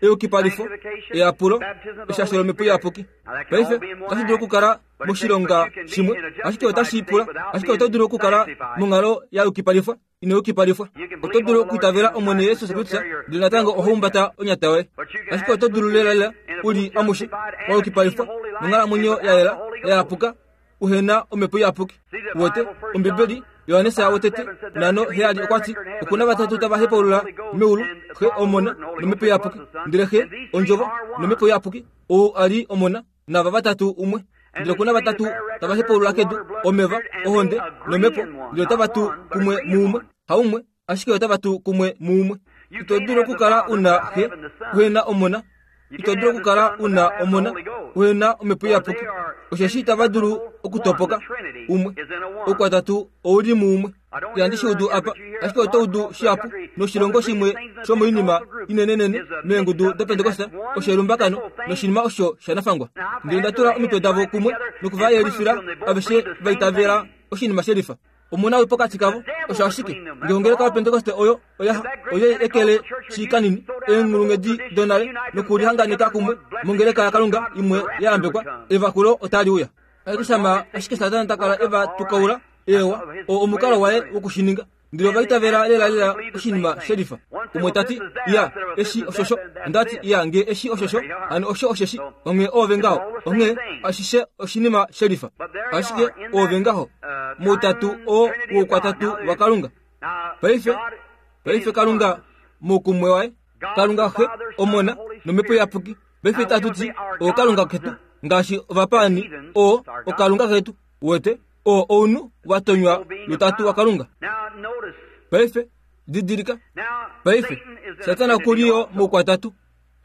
Eyukipalifo, eyapulo, eshasho lomhepo iyapuki. Paife otashi dulu okukala moshilonga shimwe, ashike otashi pula, ashike oto dulu okukala monghalo ya yukipalifwa ino yukipalifwa. Oto dulu okuitavela Omwene Jesus Kristus ndele natango oho humbata onyata yoye. Ashike oto dulu lelalela u li amushe wa yukipalifwa nonghalamwenyo ya yela ya yapuka uhena omhepo iyapuki. Uwete Ombibeli Johannes wotete nano heyali okwa ti okuna vatatu tava hepaulula meulu, Xe Omona nomhepo iyapuki. Ndele Xe Ondjovo nomhepo iyapuki ou a li Omona nava vatatu umwe. Ndele okuna vatatu tava hepaulula kedu, omeva, ohonde nomhepo, ndele otava tu kumwe muumwe. Haumwe, ashike otava tu kumwe muumwe. Ito dulu okukala una Xe uhena Omona. Ito dulu okukala una Omona uhena omhepo iyapuki. Osheshi itava dulu okutopoka umwe. Oukwatatu ouli muumwe. Ihandi shi udu apa, ashike oto udu shihapu noshilongo shimwe shomoinima inenenene meengudu doPentekoste osho elumbakano noshinima osho shanafangwa. Ndele nda tula omitwe davo kumwe nokuva yelifila aveshe va itavela oshinima shelifa. Omuna wi pokati kavo osho ashike ngee ongeleka yoPentekoste oyo oya oye ekele shikanini eenghulunghedi donale nokulihanganeka kumwe mongeleka yaKalunga imwe ya yambekwa, evakulo otali uya. Ashike shama ashike Satana ta kala eva tukaula ewa oo omukalo waye wokushininga. Ndele ova itavela lelalela oshinima shelifa. Umwe tati iya eshi oshosho, ondati iya ngee eshi oshosho, hano osho osheshi, onghee oove ngaho, onghee ashishe oshinima shelifa. Ashike oove ngaho moutatu oo woukwatatu waKalunga. Paife paife Kalunga moukumwe waye, Kalunga Xe, Omona nomhepo iyapuki. Paife tatu ti ooKalunga ketu ngaashi ovapaani oo oKalunga ketu. Uwete oo ounhu wa tonywa lutatu waKalunga. Paife didilika, paife Satana okuli yo moukwatatu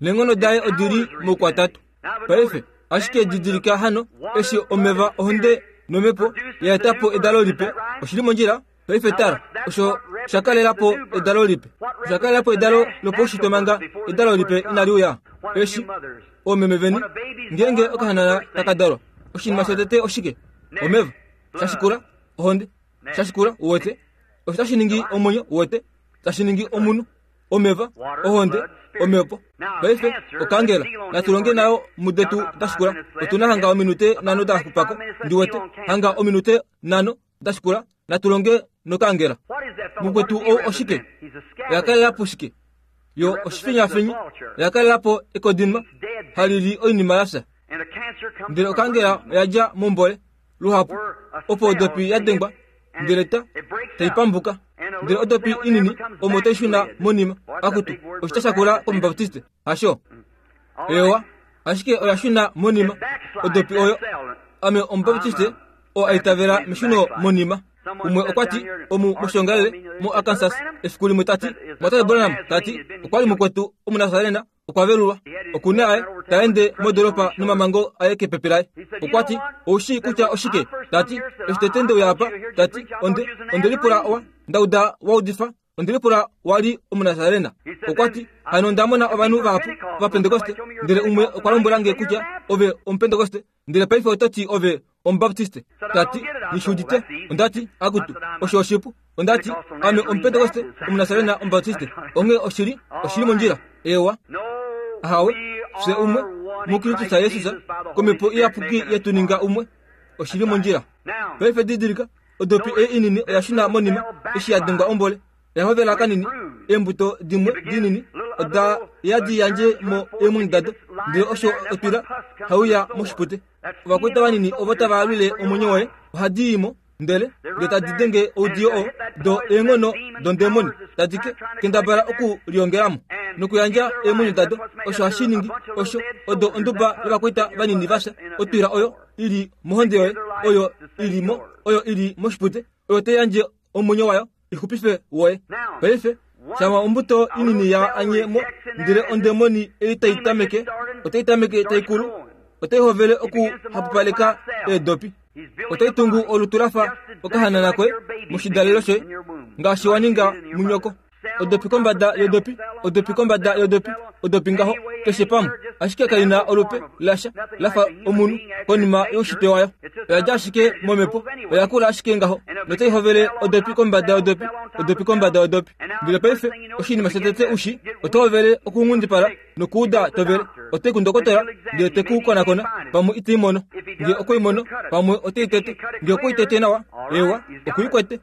neenghono daye odili moukwatatu. Paife ashike didilika hano eshi omeva ohonde nomhepo ya eta po edalo lipe. Oshili mondjila. Paife tala osho sha kalela po edalo lipe. Osha kalela po edalo lopaushitwe manga edalo lipe inali uya. Eshi oomeme veni ngeenge okahanana taka dalwa, oshinima shotete oshike? Omeva. Shashikula ohonde. Shashikula uwete osho tashi ningi omwenyo. Uwete tashi ningi omunhu. Omeva, ohonde, omhepo. Paife okaangela natu longe nayo mudetu dashikula. Otuna hanga ominute nhano da xupako. Ndiwete hanga ominute nhano dashikula natu longe nokaangela. Mukwetu ou oshike? Oya kalela po shike? Yo oshifinyafinyi. Oya kalela po ekodinma hali li oinima ya fya. Ndele okaangela oya dja mombole luhapu opo odopi ya dengwa ndele ta tai pambuka. Ndele odopi inini omo tai shuna monima. Akutu oshitya shakula komubaptiste hasho? Ewa, ashike oya shuna monima odopi oyo. Ame omubaptiste oo a itavela meshuno monima. Umwe okwa ti omu moshongalele mo Arkansas efiku limwe tati Mwatate Branham tati okwa li mukwetu omunasarena okwa velulwa okuna aye ta ende modoropa nomamango aye kepepe laye. Okwa ti oushi kutya oshike? Tati eshi tete nde uya apa, tati onde onde lipula owa ndauda wa udifa Ondelipula wali omunasarena. Okwa ti, hano onda mona ovanhu vahapu vapentekoste, ndele umwe okwa lombwela nge kutya ove omupentekoste, ndele paife oto ti ove omubaptiste. Tati, ngishudite. Ondati, akutu, osho oshipu. Ondati, ame omupentekoste, omunasarena, omubaptiste. Onge oshili, oshili mondjila. Ewa. Ahawe, fye umwe, muKristus Jesus, komhepo iyapuki yetu ninga umwe, oshili mondjila. Paife didilika, odopi ei inini oya shuna monima, eshi ya dengwa ombole. Yahovela kanini, eembuto dimwe dinini, oda yadi yandje mo eemwenyo dado, ndele osho otwila hauya moshipute. Ovakweta vanini ovo tava alwile omwenyo woye, ohadi i mo, ndele ndele tadi denge oudiyo oo, do eenghono dondemoni, tadi ke kendabala oku liongelamo nokuyandja eemwenyo dado. Osho hashi ningi osho odo onduba yovakweta vanini vasha, otwila oyo ili mohonde yoye, oyo ili mo, oyo ili moshipute, oyo tai yandje omwenyo wayo ixupife woye. Paife shama ombuto inini ya anye mo, ndele ondemoni ei tai tameke, otai tameke tai kulu, otai hovele okuhapupaleka eedopi. Otai tungu olutu lafa okahanana koye moshidalelo shoye, ngaashi wa ninga munyoko. Odopi kombada yodopi, odopi kombada yodopi, odopi ngaho keshe pamwe, ashike kaina olupe lasha lafa omunhu konima youshitwe wayo. Oya dja ashike momhepo, oya kula ashike ngaho, notai hovele odopi kombada yodopi, odopi kombada yodopi. Ndele paife oshinima shotete ushi, oto hovele okunghundipala nokuuda tovele. Otai kundokotola, ndele te ku konakona, pamwe itei mono. Nge okwei mono, pamwe otei tete. Nge okwei tete nawa, ewa, okuikwete.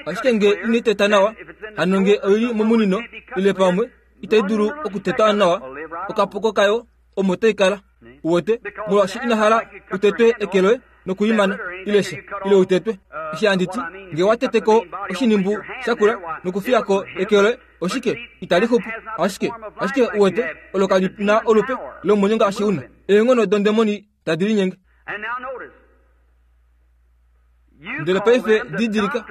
Ashike nge inai teta nawa, hano nge oili momunino, ile pamwe itai dulu okuteta nawa, okapoko kayo omo tai kala. Uwete, molwaashi ina hala utetwe eke loye nokuimana, ile sha, ile utetwe. Eshi handi ti, nge wa teteko oshinimbu shakula nokufiyako eke loye, oshike itali xupu. Ashike, ashike uwete, olo kali na olupe lomwenyo ngaashi una. Eenghono dondemoni tadi linyenge. Ndele paife didilika,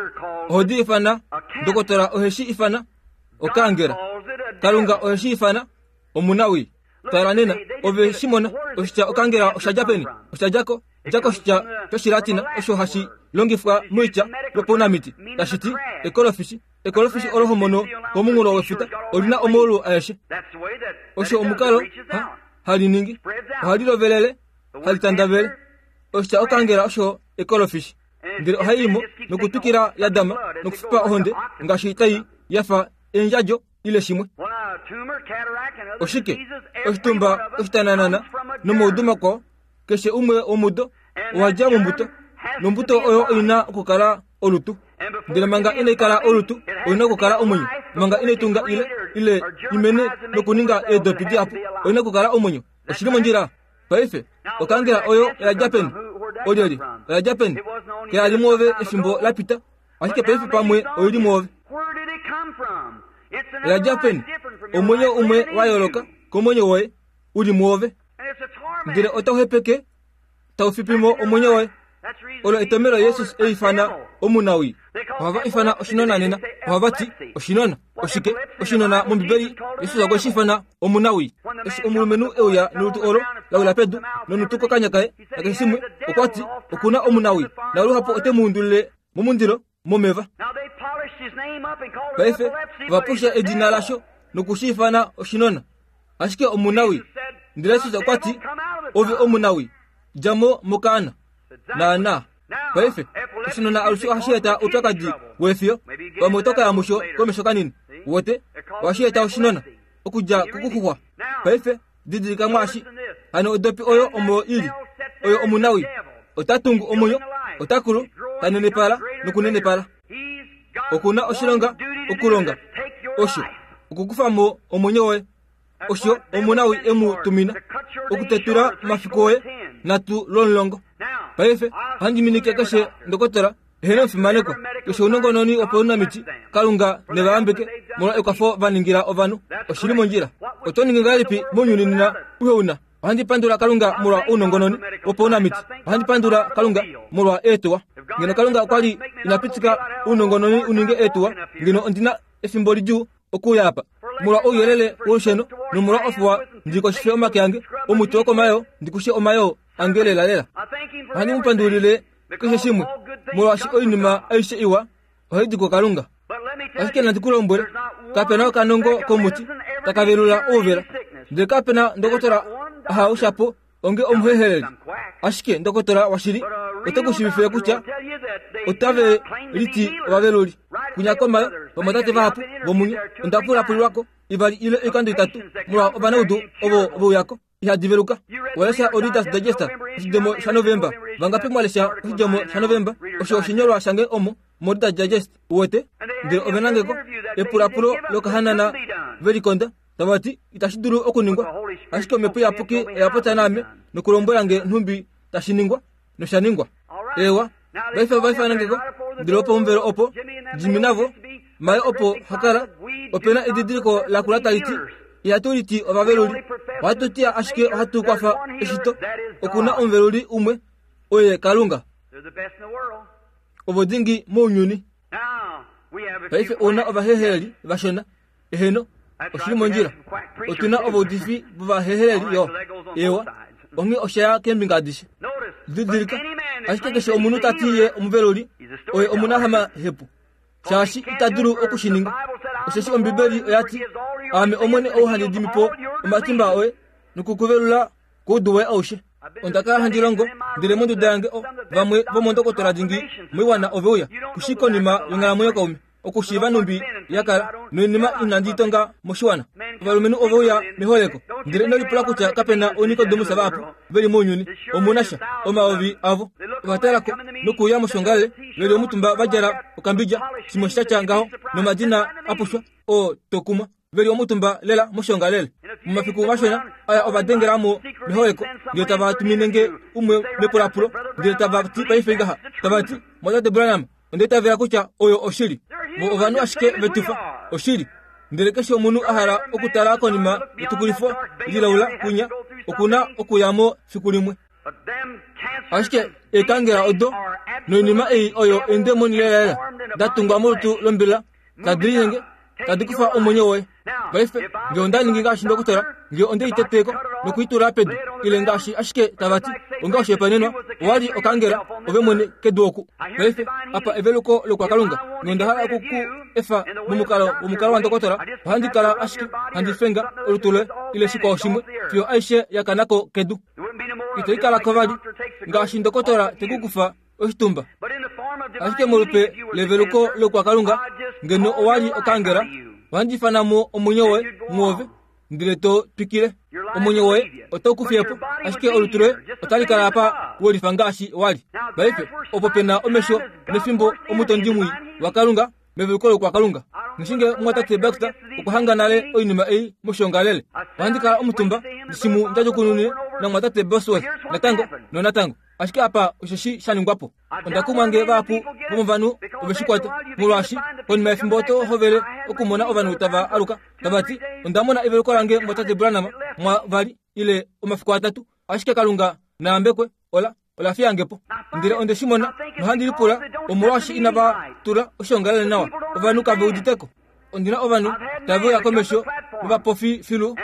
ohodi ifana, ndokotola oheshi ifana okaangela. Kalunga oheshi ifana omunawii. Tala nena, ove shimona, oshitya okaangela oshadja peni? Oshadjako, djako oshitya shoshilatina osho hashi longifwa moitya yopaunamiti, tashi ti ekolofishi. Ekolofishi olo homono komunghulo wefuta, olina omaulu aeshe. Osho omukalo ha, hali ningi, ohali lovelele, hali tandavele. Oshitya okaangela osho ekolofishi. Ndele ohai imo nokutukila ya dama nokufipa ohonde ngaashi tai yafa eendjadjo ile shimwe. Oshike oshitumba oshitananana nomaudu makwao, keshe umwe womudo owadja mombuto, nombuto oyo oina okukala olutu. Ndele manga inai kala olutu, oina okukala omwenyo. Manga inai tunga ile ile imene nokuninga eedopi dihapu, oina okukala omwenyo. Oshili mondjila. Paife okaangela oyo oya peni? Olyoli oya peni? Kayali mwoove efimbo la pita, ashike paife pamwe oili mwoove. Oya peni? Omwenyo umwe wa yooloka komwenyo woye uli mwoove. Ndele otau hepeke, tau fipimo omwenyo woye. Olo etomelo Jesus eifana omunawii. Ohava ifana oshinona nena, ohava ti oshinona. Oshike oshinona mOmbibeli? Jesus okwe shi ifana omunawii. Eshi omulumenhu euya nolutu olo lawila pedu nonutu kokanya kaye nakeshe shimwe, okwa ti okuna omunawii, naluhapu ote mu undulile momundilo momeva. Paife ovapusha edina lasho nokushi ifana oshinona, ashike omunawii. Ndele Jesus okwa ti ove omunawii, dja mo mokaana. Naana. Paife oshinona alushe ohashi eta oupyakadi wefiyo, pamwe oto kaya musho komesho kanini. Wote ohashi eta oshinona okudja kokuxuxwa. Paife didilika mwaashi, hano odopi oyo omo ili, oyo omunawii. Ota tungu omwenyo, ota kulu, ta nenepala nokunenepala. Okuna oshilonga okulonga osho okukufa mo omwenyo woye. Osho omunawii emu tumina okutetula omafiku oye natu lomulongo. Paife ohandi minike keshe ndokotola ehena omufimanekwa, keshe ounongononi wopaunamiti, Kalunga nevayambeke molwa ekwafo vaningila ovanhu. Oshili mondjila. Oto ningi ngahelipi mounyuni nena uhe una? Ohandi pandula Kalunga molwa ounongononi wopaunamiti. Ohandi pandula Kalunga molwa eetuwa. Ngeno Kalunga okwali ina pitika ounongononi uninge eetuwa, ngeno ondina efimbo lidjuu okuuya apa. Molwa ouyelele wolusheno nomolwa ofuwa ndikoshife omake ange, omuti wokomayoo ndikushe omayoo ange lelalela. Ohandi mu pandulile keshe shimwe, molwaashi oinima aishe iwa ohai di kuKalunga. Ashike nandi ku lombwele, kapena okanongo komuti takavelula ouvela, ndele kapena ndokotola ahaushapo onge omuheheleli. Ashike ndokotola washili ote ku shiivifile kutya otave liti ovaveluli. Kunya komayo vamwatate vahapu vomunye onda pulapulilwako ivali ile oikando itatu molwa ovanaudu ovo veuyako ihadi veluka. Walesha o Reader's Digest oshidjemo shaNovemba. Vangapi mwalesha oshidjemo shaNovemba? Osho oshinyolwa shange omo mo Reader's Digest uwete. Ndele ovenangeko epulapulo lokahanana velikonda tavati itashi dulu okuningwa. Ashike Omhepo Iyapuki oya popya naame nokulombwela nge nhumbi tashi ningwa, nosha ningwa. Ewa, paife ovaifanangeko ndele opo omuvelo opo Jimmy navo maye opo hakala opena edidiliko lakula tali ti ihatu liti ovaveluli, ohatu ti ashike ohatu kwafa eshito. Okuna omuveluli umwe, oye Kalunga. Ovo dingi mounyuni. Paife ouna ovaheheleli vashona, eheno, oshili mondjila. Otuna ovaudifi vovaheheleli yo, ewa, onghee osha ya keembinga adishe. Didilika, ashike keshe omunhu ta ti ye omuveluli, oye omunahamahepu, shaashi ita dulu okushininga. Osheshi Ombibeli oya ti, Aame Omwene ou handi dimi po omatimba oye nokukuvelula koudu woye aushe. Onda kala handi longo ndele monduda yange o vamwe vomondokotola dingi moiwana ove uya kushi konima yonghalamwenyo kaume okushiiva nhumbi ya kala noinima inandi tonga moshiwana. Ovalumenhu ove uya meholeko ndele ino lipula kutya kapena ounikodemus vahapu veli mounyuni. Omuna sha omayovi avo ovatalako nokuuya moshongalele veli omutumba vadjala okambidja shimwe shatya ngaho nomadina apushwa oo tokumwa veli omutumba lela moshongalele. Momafiku mashona aya ovadengelamo meholeko ndele tava tumine nge umwe mepulapulo ndele tava ti paife ngaha tava ti Mwatate Branham onda itavela kutya oyo oshili. Vo ovanhu ashike vetufa oshili. Ndele keshe omunhu a hala okutala konima yetukulifo lilaula kunya okuna okuyamo fiku limwe. Ashike eekangela odo noinima ei oyo eendemoni lelalela da tungwa molutu lombila tadi linyenge tadi kufa omwenyo woye. Paife nge onda ningi ngaashi ndokotola, nge onde i teteko nokuitula pedu ile ngaashi ashike tava ti onga oshihopaenenwa owali okangela ove mwene kedu oku. Paife apa eveluko lokwakalunga, nge onda hala oku ku efa momukalo womukalo wandokotola, ohandi kala ashike handi fenga olutu loye ile shikwao shimwe fiyo aishe ya kanako kedu. Ito ikalako vali ngaashi ndokotola te ku kufa oshitumba. Ashike molupe leveluko lokwakalunga, ngeno owali okangela, ohandi ifana mo omwenyo woye mwoove ndele to twikile. Omwenyo woye otau ku fiye po, ashike olutu loye otali kala apa welifa ngaashi wali. Paife opo pena omesho nefimbo omutondi mwii waKalunga meveluko lokwakalunga. Ngishinge mwatate Baxter okwa hanga nale oinima ei moshongalele. Ohandi kala omutumba ndishimu ndadjukunune namwatate Bosworth natango nonatango. Ashike apa osheshi sha ningwapo. Onda kumwa nge vahapu vomovanhu oveshikwata, molwaashi konima yefimbo oto hovele okumona ovanhu tava aluka tava ti onda mona eveluko lange mwatate Branham mwa vali ile omafiku atatu, ashike Kalunga naambekwe ola ola fiyange po. Ndele onde shi mona nohandi lipula omolwaashi inava tula oshongalele nawa, ovanhu kave uditeko. Ondina ovanhu tave uya komesho vovapofi filu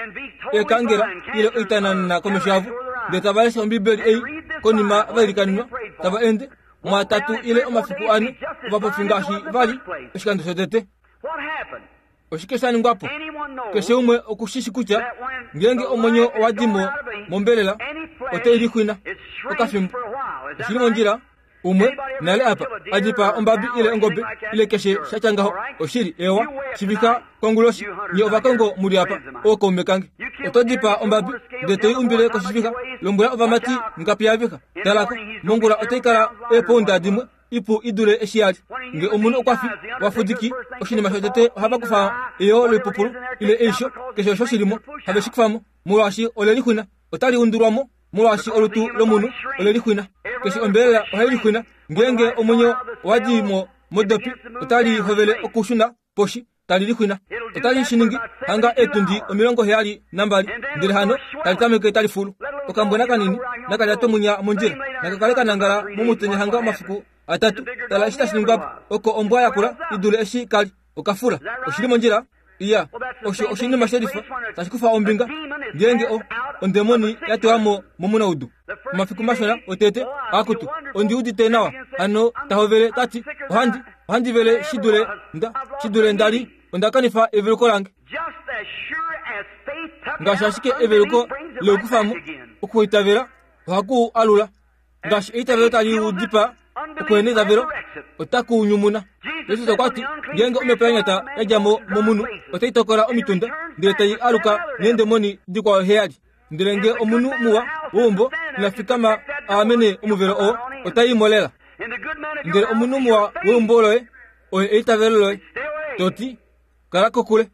eekangela ile oitanana komesho yavo ndele tava lesha Ombibeli ei konima vailikanenwa tava ende mwatatu ile omafiku ane ovapofi ngaashi vali oshikando shotete. Oshike sha ningwapo? Keshe umwe okushishi kutya ngeenge omwenyo owa dimo mombelela otai lixwina okafimbo. Oshili mondjila umwe nale apa adipaa ombabi ile ongobe ile keshe shatya ngaho. Oshili ewa shivika konguloshi nye ovakongo muli apa ookaume kange. Oto dipaa ombabi ndele toi umbile koshivika, lombwela ovamati ngapi yavika. Talako mongula otai kala eepounda dimwe ipu idule eshi yali. Nge omunhu okwa fi wafudiki, oshinima shotete ohava kufa eyo loipupulu ile eisho keshe osho shilimo have shi kufamo molwaashi ole lixwina, otali undulwamo molwaashi olutu lomunhu ole lixwina. Keshe ombelela ohai lixwina. Ngeenge omwenyo owa di mo modopi otali hovele okushuna poshi tali lixwina. Otali shi ningi hanga eetundi omilongo heyali nambali ndele hano tali tameke tali fulu. Okambwena kanini nakalya munya mondjila nakakale kanangala momutenya hanga omafiku atatu. Tala eshi tashi ningwapo oko ombwa yakula idule eshi kali okafula. Oshili mondjila iya osho oshinima shelifa tashi kufa ombinga ngeenge o ondemoni ya tewa momunaudu. Omafiku mashona otete akutu ondi udite nawa hano tahovele tati ohandi Ohandi vele shi dule nda shi dule ndali onda kanifa eveluko lange. Ngaashi ashike eveluko leukufamo okuitavela ohaku alula. Ngaashi eitavelo tali udipa okuhena eitavelo otaku nyumuna. Jesus okwa ti ngeenge omhepo ya nyata ya dja mo momunhu otai tokola omitunda ndele tai aluka neendemoni dikwao heyali. Ndele nge omunhu muwa weumbo ina fikama aamene omuvelo oo otai molela. Ndele omunhu muwa weumbo loye oye eitavelo loye toti kala kokule.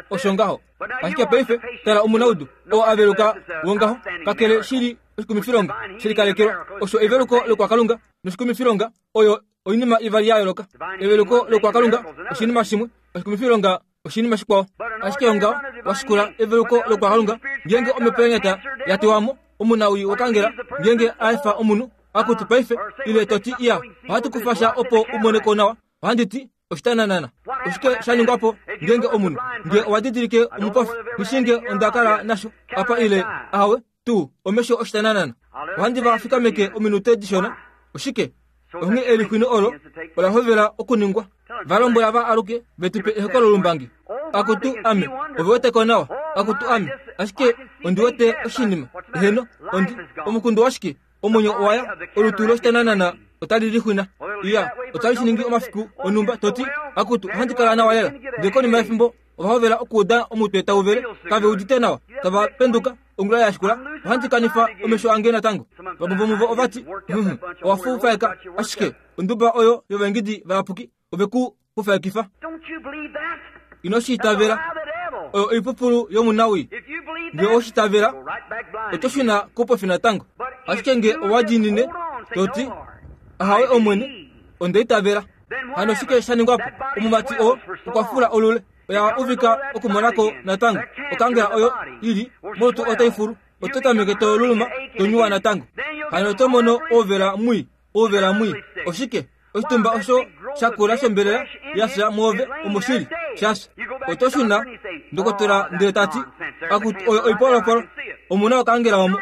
Osho ngaho. Ashike paife tala omunaudu oo aveluka wongaho kakele shili oshikumifilonga shilikalekelwa. Osho eveluko lokwakalunga noshikumifilonga oyo oinima ivali ya yooloka. Eveluko lokwakalunga oshinima shimwe, oshikumifilonga oshinima shikwao. Ashike ongaho washikula eveluko lokwakalunga ngeenge omhepo ya nyata ya tiwamo omunawi wokangela ngeenge aefa omunhu akuti paife ile toti iya ohatu kufa sha opo umoneko nawa. Ohandi ti oshitananana. Oshike sha ningwapo ngeenge omunhu nge owa didilike omupofi nishinge onda kala nasho apa ile awe tuu omesho oshitananana. Ohandi va fikameke ominute dishona. Oshike onghee elixwino olo ola hovela okuningwa. Valombwela va aluke vetupe ehokololo lumbangi. Akutu ame ove weteko nawa. Akutu ame ashike ondi wete oshinima. Eheno ondi omukundu washike omwenyo owaya olutu loshitananana otali lixwina. Iya otali shiningi omafiku onumba toti akutu ohandi kala nawa lela. Ndele konima yefimbo ova hovela okuuda omutwe tau vele kave udite nawa tava penduka ongula ya shikula ohandi kanifa omesho ange natango. Vamwe vomuvo ovati owa fufaeka ashike onduba oyo yovengidi vayapuki ove ku fufaekifa. Ino shiitavela oyo oipupulu yomunawi. Nge oshitavela oto shuna kupofi natango. Ashike nge owa diinine toti ahawe omwene onda itavela. Hano shike sha ningwapo? Omumati oo okwa fula olule oya uvika okumonako natango. Okangela oyo ili molutu otai fulu. Oto tameke to luluma to nyuwa natango. Hano oto mono ouvela mwi ouvela mwi. Oshike oshitumba osho shakula shombelela yafya mwoove omoshili shafya. Oto shuna ndokotola ndele tati akuti oyo oipolopolo omuna okangela omo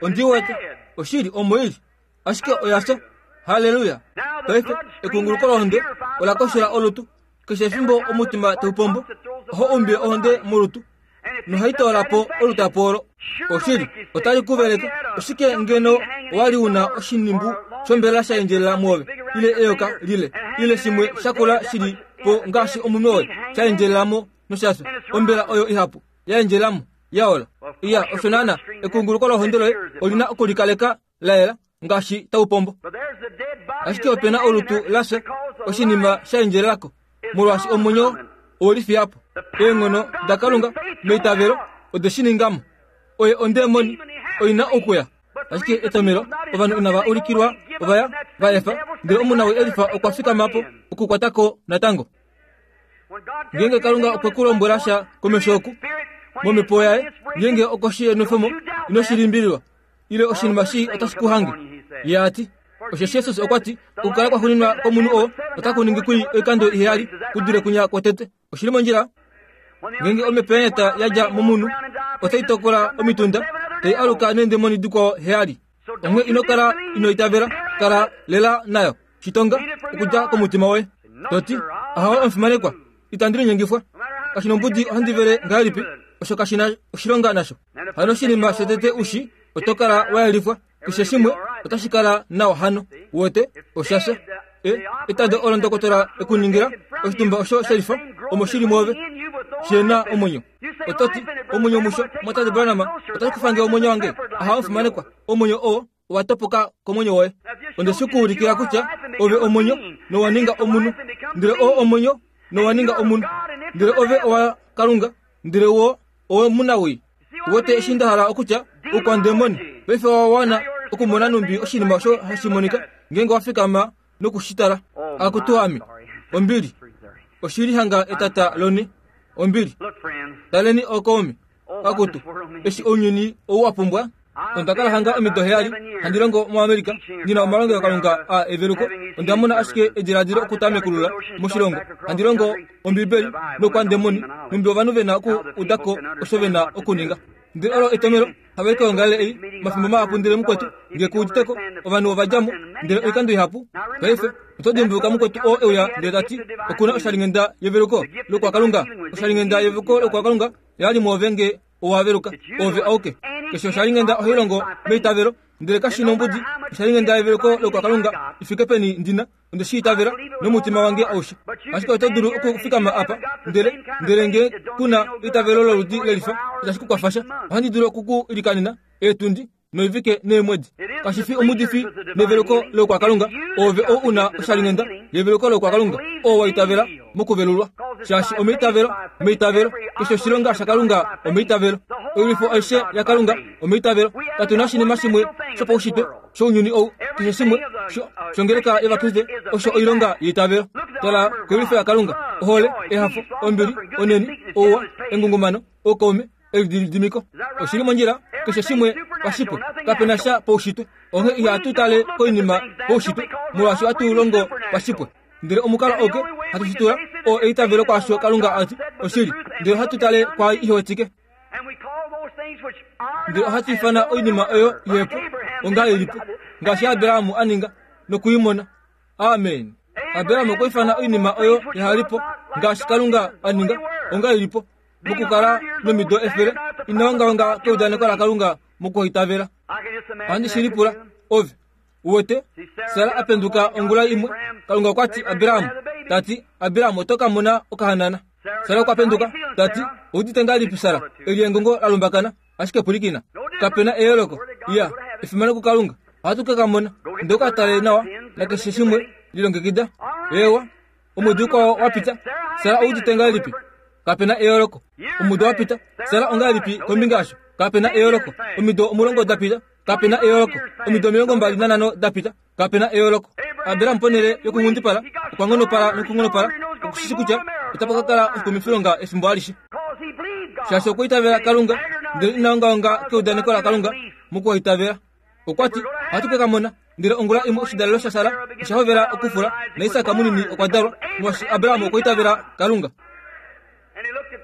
ondi wete oshili omo ili ashike oyafya. Haleluya. Paife ekunguluko lohonde ola koshela olutu. Keshe efimbo omutima tau pombo oho umbile ohonde molutu nohai toolapo olutapo olo. Oshili otali kuveleke. Oshike ngeno wali una oshinimbu shombelela sha endjelela mwoove ile eyoka lile ile shimwe shakula shili po ngaashi omunwe woye sha endjelelamo noshafya. Ombela oyo ihapu ya endjelelamo yaola. Iya osho naana ekunguluko lohonde loye olina okulikaleka la yela ngaashi tau pombo. Ashike opena olutu lafya oshinima sha endjelelako molwaashi omwenyo owelifiyapo. Eenghono dakalunga meitavelo ode shi ningamo. Oye ondemoni oina okuya. Ashike etomelo ovanhu inava ulikilwa ovaya va efa. Ndele omunawi elifa okwa fikamapo okukwatako natango. Ngeenge Kalunga okwe ku lombwela sha komesho oku momhepo yaye ngeenge okoshi yenwefemo ino shi limbililwa ile oshinima shi otashi ku hange. Ye ati osheshi Jesus okwa ti okukala kwa xuninwa komunhu oo otaku ningi kuli oikando iheyali kudule kunya kwotete. Oshili mondjila. Ngeenge omhepo ya nyata ya dja momunhu otai tokola omitunda tai aluka neendemoni dikwao heyali. Onghee ino kala ino itavela, kala lela nayo. Shitonga okudja komutima woye toti ahawe omufimanekwa itandi linyengifwa. Kashina ombudi ohandi vele ngahelipi osho kashina oshilonga nasho. Hano oshinima shotete ushi oto kala wa yelifwa. Keshe shimwe otashi kala nawa hano. Wote oshasha e etando olo ndokotola ekuningila oshitumba osho shelifa omo shili mwoove shena omwenyo. Ototi omwenyo musho mwatate Branham otashi kufange omwenyo wange. Ahawe omufimanekwa omwenyo oo owa topoka komwenyo woye. Onde shi kuulikila kutya ove omwenyo nowa ninga omunhu. Ndele oo omwenyo nowa ninga omunhu. Ndele ove owa Kalunga. Ndele wo owe munawi. Wote eshi nda hala okutya oukwandemoni paife owa wana okumona numbi oshinima osho hashi monika ngeenge wa fikama nokushitala. Akutu ame ombili oshili hanga etata lone ombili. Taleni okoomi akutu eshi ounyuni ou wa pumbwa. Onda kala hanga omido heyali handi longo muAmerika ndina omalongelo Kalunga a eveluko. Onda mona ashike ediladilo okutamekulula moshilongo. Handi longo Ombibeli nokwandemoni numbi ovanhu vena oku udako osho vena okuninga. Ndele olo etomelo Hava koyongalele ei mafimbo mahapu ndele mukwetu nge kuuditeko ovanhu ova dja mo ndele oikando ihapu. Paife oto dimbuluka mukwetu oo euya ndele tati okuna oshalinghenda yeveluko lokwakalunga. Oshalinghenda yeveluko lokwakalunga yali mwoove nge owaveluka ove auke. Keshe oshalinghenda ohai longo meitavelo ndele kashi nombudi. Oshalinghenda yeveluko lokwakalunga ifike peni ndina onde shi itavela nomutima wange aushe. Ashike oto dulu okufikama apa ndele ndele nge kuna eitavelo loludi lelifa itashi ku kwafasha. Ohandi dulu okuku ilikanena eetundi noivike neemwedi. Kashi fi omudifi neveluko lokwakalunga. Ove ou una oshalinghenda yeveluko lokwakalunga oo wa itavela mokuvelulwa. Shaashi omeitavelo, meitavelo, keshe oshilonga shakalunga omeitavelo. Oilwifo aishe yakalunga omeitavelo. Katu na oshinima shimwe shopaushitwe shounyuni ou, keshe shimwe shongeleka yovakriste osho oilonga yeitavelo. Tala koilwifo yakalunga: ohole, ehafo, ombili, oneni, ouwa, engungumano, oukaume, elididimiko. Oshili mondjila keshe shimwe pashipwe. Kapena sha paushitwe. Onghee ihatu tale koinima paushitwe molwaashi ohatu longo pashipwe. Ndele omukalo oke hatu shitula oo eitavelo kwaasho Kalunga ati oshili, ndele ohatu tale kwaai ihewetike. Ndele ohatu ifana oinima oyo ihepo onga ilipo, ngaashi Abrahamu a ninga nokuimona. Amen. Abrahamu okwa ifana oinima oyo ihalipo ngaashi Kalunga a ninga onga ilipo, mokukala nomido efele inaongaonga keudaneko laKalunga mokuitavela. Ohandi shi lipula ove uwete Sara apenduka ongula imwe. Kalunga okwa ti Abrahamu, tati Abrahamu oto ka mona okahanana. Sara okwa penduka tati oudite ngahelipi Sara? Eli engongo la lumbakana ashike pwilikina. Kapena eyooloko. Iya, efimano kuKalunga. Ohatu ke ka mona. Ndele ka tale nawa nakeshe shimwe lilongekida. Ewa, omwedi ukwao wa pita. Sara oudite ngahelipi? Kapena eyooloko. Omudo wa pita. Sara ongahelipi kombinga yasho? Kapena eyooloko. Omido omulongo da pita. Kapena eyooloko. Omido omilongo mbali nanhano da pita. Kapena eyooloko. Abraham ponhele yokunghundipala okwa nghonopala nokunghonopala okushishi kutya otapa ka kala oshikumifilonga efimbo alishe. Shaashi okwa itavela Kalunga ndele inaongaonga keudaneko laKalunga mokuitavela. Okwa ti ohatu ke ka mona. Ndele ongula imwe oshidalelo shaSara osha hovela okufula naIsak munini okwa dalwa molwaashi Abraham okwa itavela Kalunga.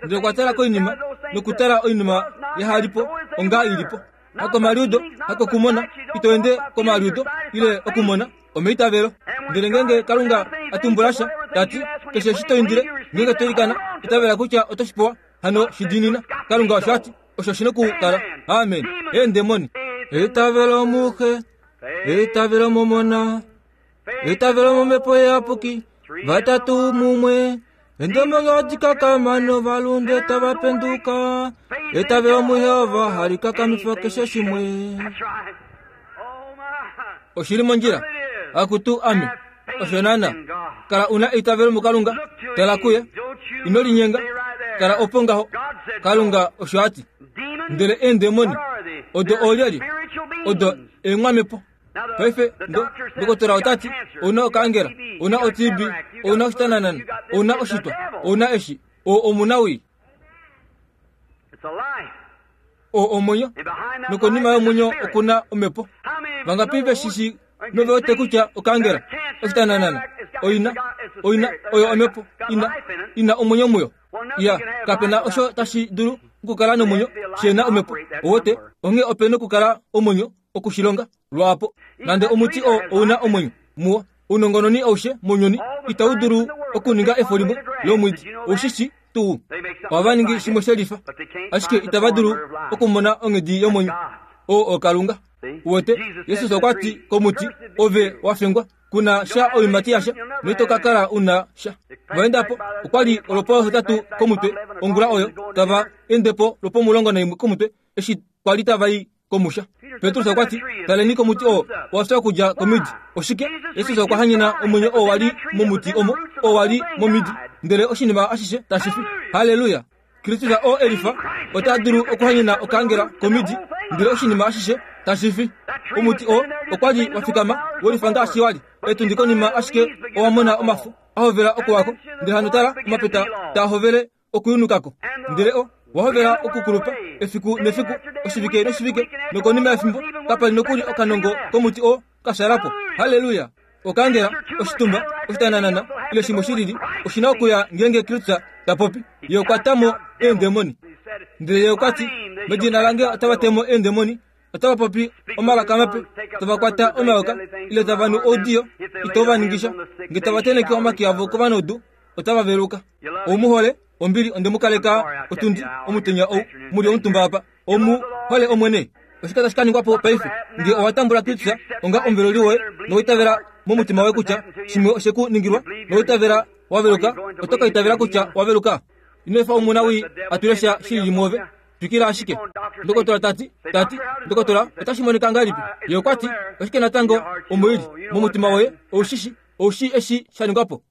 Ndele okwa tala koinima nokutala oinima yahalipo onga ilipo. Hakomaliudo, hakokumona, ito ende komaliudo ile okumona omeitavelo. Ndele ngenge Kalunga atumbula sha tati keshe eshi to indile ngenge to ilikana itavela kutya oto shi pewa hano shidinina. Kalunga osho ati osho shina okukala. Amen. Eendemoni. Eitavelo muxe, eitavelo momona, eitavelo momhepo iyapuki, vatatu mumwe. Endemoni odikakama novalunde tava penduka. Eitavelo muYehova hali kakamifa keshe shimwe. Oshili mondjila. Akutu ame. Osho nana. Kala una eitavelo muKalunga. Tala kuye. Ino linyenga. Kala opo ngaho. Kalunga osho ati. Ndele eendemoni odo olyelye? Odo eeng'wamepo. Paife ndokotola otati ouna okaangela, ouna o T B, ouna oshitananana, ouna oshitwa, ouna eshi, oo omunawii. Oo omwenyo, nokonima yomwenyo okuna omhepo. Vangapi veshishi nove wete kutya okaangela, oshitananana, oina, oina, oyo omhepo, ina, ina omwenyo muyo. Ya, kapena osho tashi dulu okukala nomwenyo shena omhepo. Owote, onghee opena okukala omwenyo okushilonga lwaapo. Nande omuti oo ouna omwenyo muwo, ounongononi aushe mounyuni itau dulu okuninga efo limwe lomwidi. Oushishi tuu ohava ningi shimwe shelifa, ashike itava dulu okumona onghedi yomwenyo oo oKalunga. Uwete, Jesus okwa ti komuti, ove wa fengwa, kuna sha oiimati yasha, noito ka kala una sha. Vaendapo okwa li olwopohetatu komutwe ongula oyo, tava endepo lwopomulongo naimwe komutwe eshi kwa li tava i komusha. Petrus okwa ti, taleni komuti oo wa fya okudja komidi. Oshike? Jesus okwa hanyena omwenyo oo wali momuti omo, oo wali momidi, ndele oshinima ashishe tashi fi. Halleluya! Kristus oo elifa ota dulu okuhanyena okaangela komidi, ndele oshinima ashishe tashi fi. Omuti oo okwa li wa fikama welifa ngaashi wali etundi konima ashike owa mona omafo a hovela okuwako, ndele hano tala omapeta taa hovele okuyunukako, ndele o wahovela okukulupa efiku nefiku, oshivike noshivike, nokonima yefimbo kapali nokuli okanongo komuti oo kashalapo. Halleluya! Okaangela, oshitumba, oshitananana ile shimwe shilili oshina okuya ngenge Kristus ta popi. Ye okwa ta mo eendemoni. Ndele ye okwa ti, Medina lange otava temo eendemoni, otava popi omalaka mape, tava kwata omayoka, ile tava nu oudiyo, itova ningisha. Nge tava teneke omake avo kovanaudu, otava veluka. Oumuhole, ombili ondemukaleka otundi omutenya ou muli omutumba apa. Omu hole Omwene. Oshike tashi ka ningwa po paife nge owa tambula Kristus onga omuveluli woye nowaitavela momutima woye kutya shimwe oshe ku ningilwa, nowaitavela wa veluka, oto ka itavela kutya wa veluka. Ino efa omuna wii a tule sha shilili mwoove. Twikila ashike. Ndokotola tati, tati, ndokotola, otashi monika ngahelipi? Ye okwa ti, oshike natango omoili momutima woye, oushishi, oushi eshi sha ningwa po.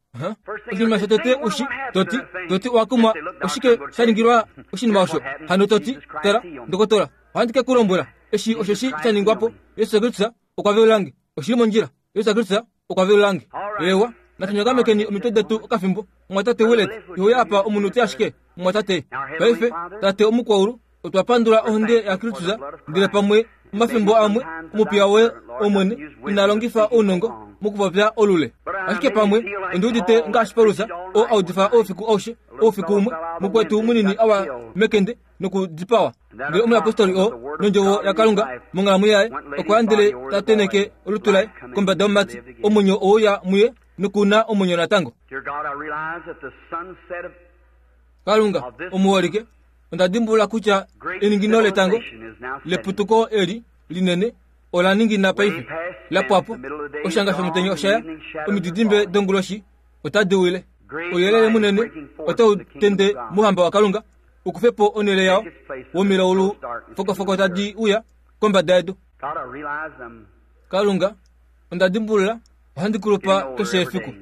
Oshinima shotete ushi, toti, toti owa kumwa, oshike sha ningilwa oshinima osho. Hano toti, tala, ndokotola, ohandi ke ku lombwela, eshi osheshi sha ningwa po. Yesu Kristus okwa velulange. Oshili mondjila. Yesu Kristus okwa velulange. Ewa, natunyakamekeni omitwe detu okafimbo. Mwatate Willet, ihoya apa omunute ashike. Mwatate, paife, tate omukwaulu, otwa pandula ohonde ya Kristus, ndele pamwe omafimbo amwe omupiya woye Omwene ina longifa ounongo mokupopya olule. Ashike pamwe ondi udite ngaashi Paulus oo audifa oufiku aushe, oufiku umwe mukwetu munini awa mekende nokudipawa. Ndele omuyapostoli oo nondjovo yaKalunga monghalamwenyo yaye okwa ya ndele ta teneke olutu laye kombada yomumati, omwenyo ouya muye nokuna omwenyo natango. Kalunga omuholike, onda dimbulula kutya eningino letango leputuko eli linene ola ningina paife lapwapo. Oshanga shomutenya oshaya, omididimbe donguloshi otadi wile. Ouyelele munene otau tende mouhamba waKalunga ukufe po onhele yao womilaulu fokofoko tadi uya kombada yedu. Kalunga, onda dimbulula ohandi kulupa keshe efiku.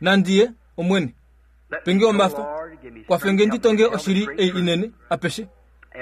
Nandiye Omwene, penge omafa, kwafenge ndi tonge oshili ei inene apeshe.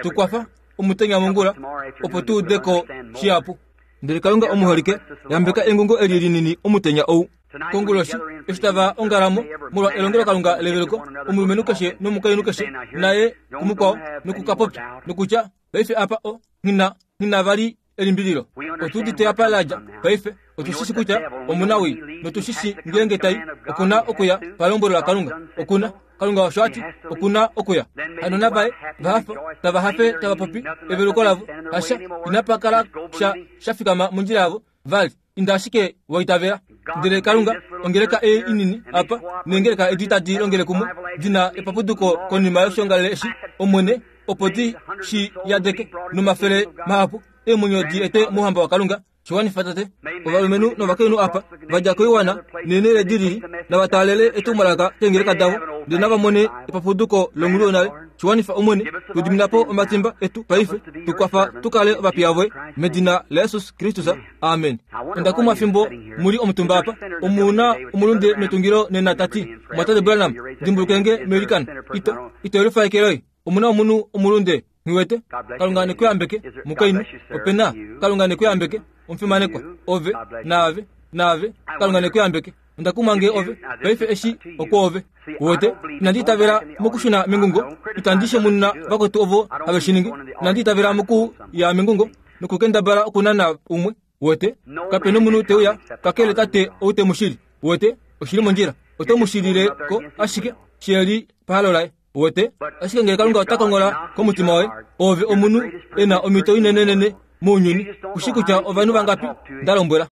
Tukwafa omutenya mongula opo tu udeko shihapu. Ndele Kalunga omuholike, yambeka engungo eli linini omutenya ou. Konguloshi eshi tava ongalamo molwa elongelokalunga leveluko, omulumenhu keshe nomukainhu keshe naye kumukwao nokukapopya nokutya paife apa o nghina nghina vali elimbililo. Otuudite apa ladja paife, otushishi kutya omuna wii, notushishi ngeenge tai okuna okuya palombwelo laKalunga. Okuna Kalunga osho ati okuna okuya. Hano navaye vahafa tava hafe tava popi eveluko lavo, hasha inapa kala sha shafikama mondjila yavo vali, inda ashike waitavela. Ndele Kalunga, ongeleka ei inini apa neengeleka edi tadi longele kumwe dina epapuduko konima yoshongalele eshi, Omwene, opo di shi yadeke nomafele mahapu eemwenyo di ete mouhamba waKalunga. Shiwanifa tate, ovalumenhu novakainhu apa vadja koiwana neenhele dilili nava taalele etumwalaka keengeleka davo, ndele nava mone epapuduko longhulu yonale. Shiwanifa Omwene, tudimina po omatimba etu paife, tukwafa tukale ovapiya voye medina laJesus Kristus. Amen. Onda kumwa fimbo muli omutumba apa, omuna omulunde metungilo nena tati, Mwatate Branham, dimbulukenge meilikano, ito ito elufa eke loye. Omuna omunhu omulunde nghiwete. Kalunga nekuyambeke mukainhu, opena Kalunga nekuyambeke omufimanekwa, ove naave naave Kalunga nekuyambeke. Onda kumwa nge ove paife eshi okwoove. Uwete, inandi itavela mokushuna mengungo, itandi shemununa vakwetu ovo have shi ningi. Inandi itavela moku ya mengungo nokukendabala okunana umwe. Uwete, kapena omunhu teuya kakele tate ou te mu shili. Uwete, oshili mondjila, oto mu shilile ko ashike sheli pahalo laye. Uwete, ashike ngele Kalunga ota kongola komutima woye, ove omunhu ena omhito inenenene mounyuni, ushi kutya ovanhu vangapi nda lombwela.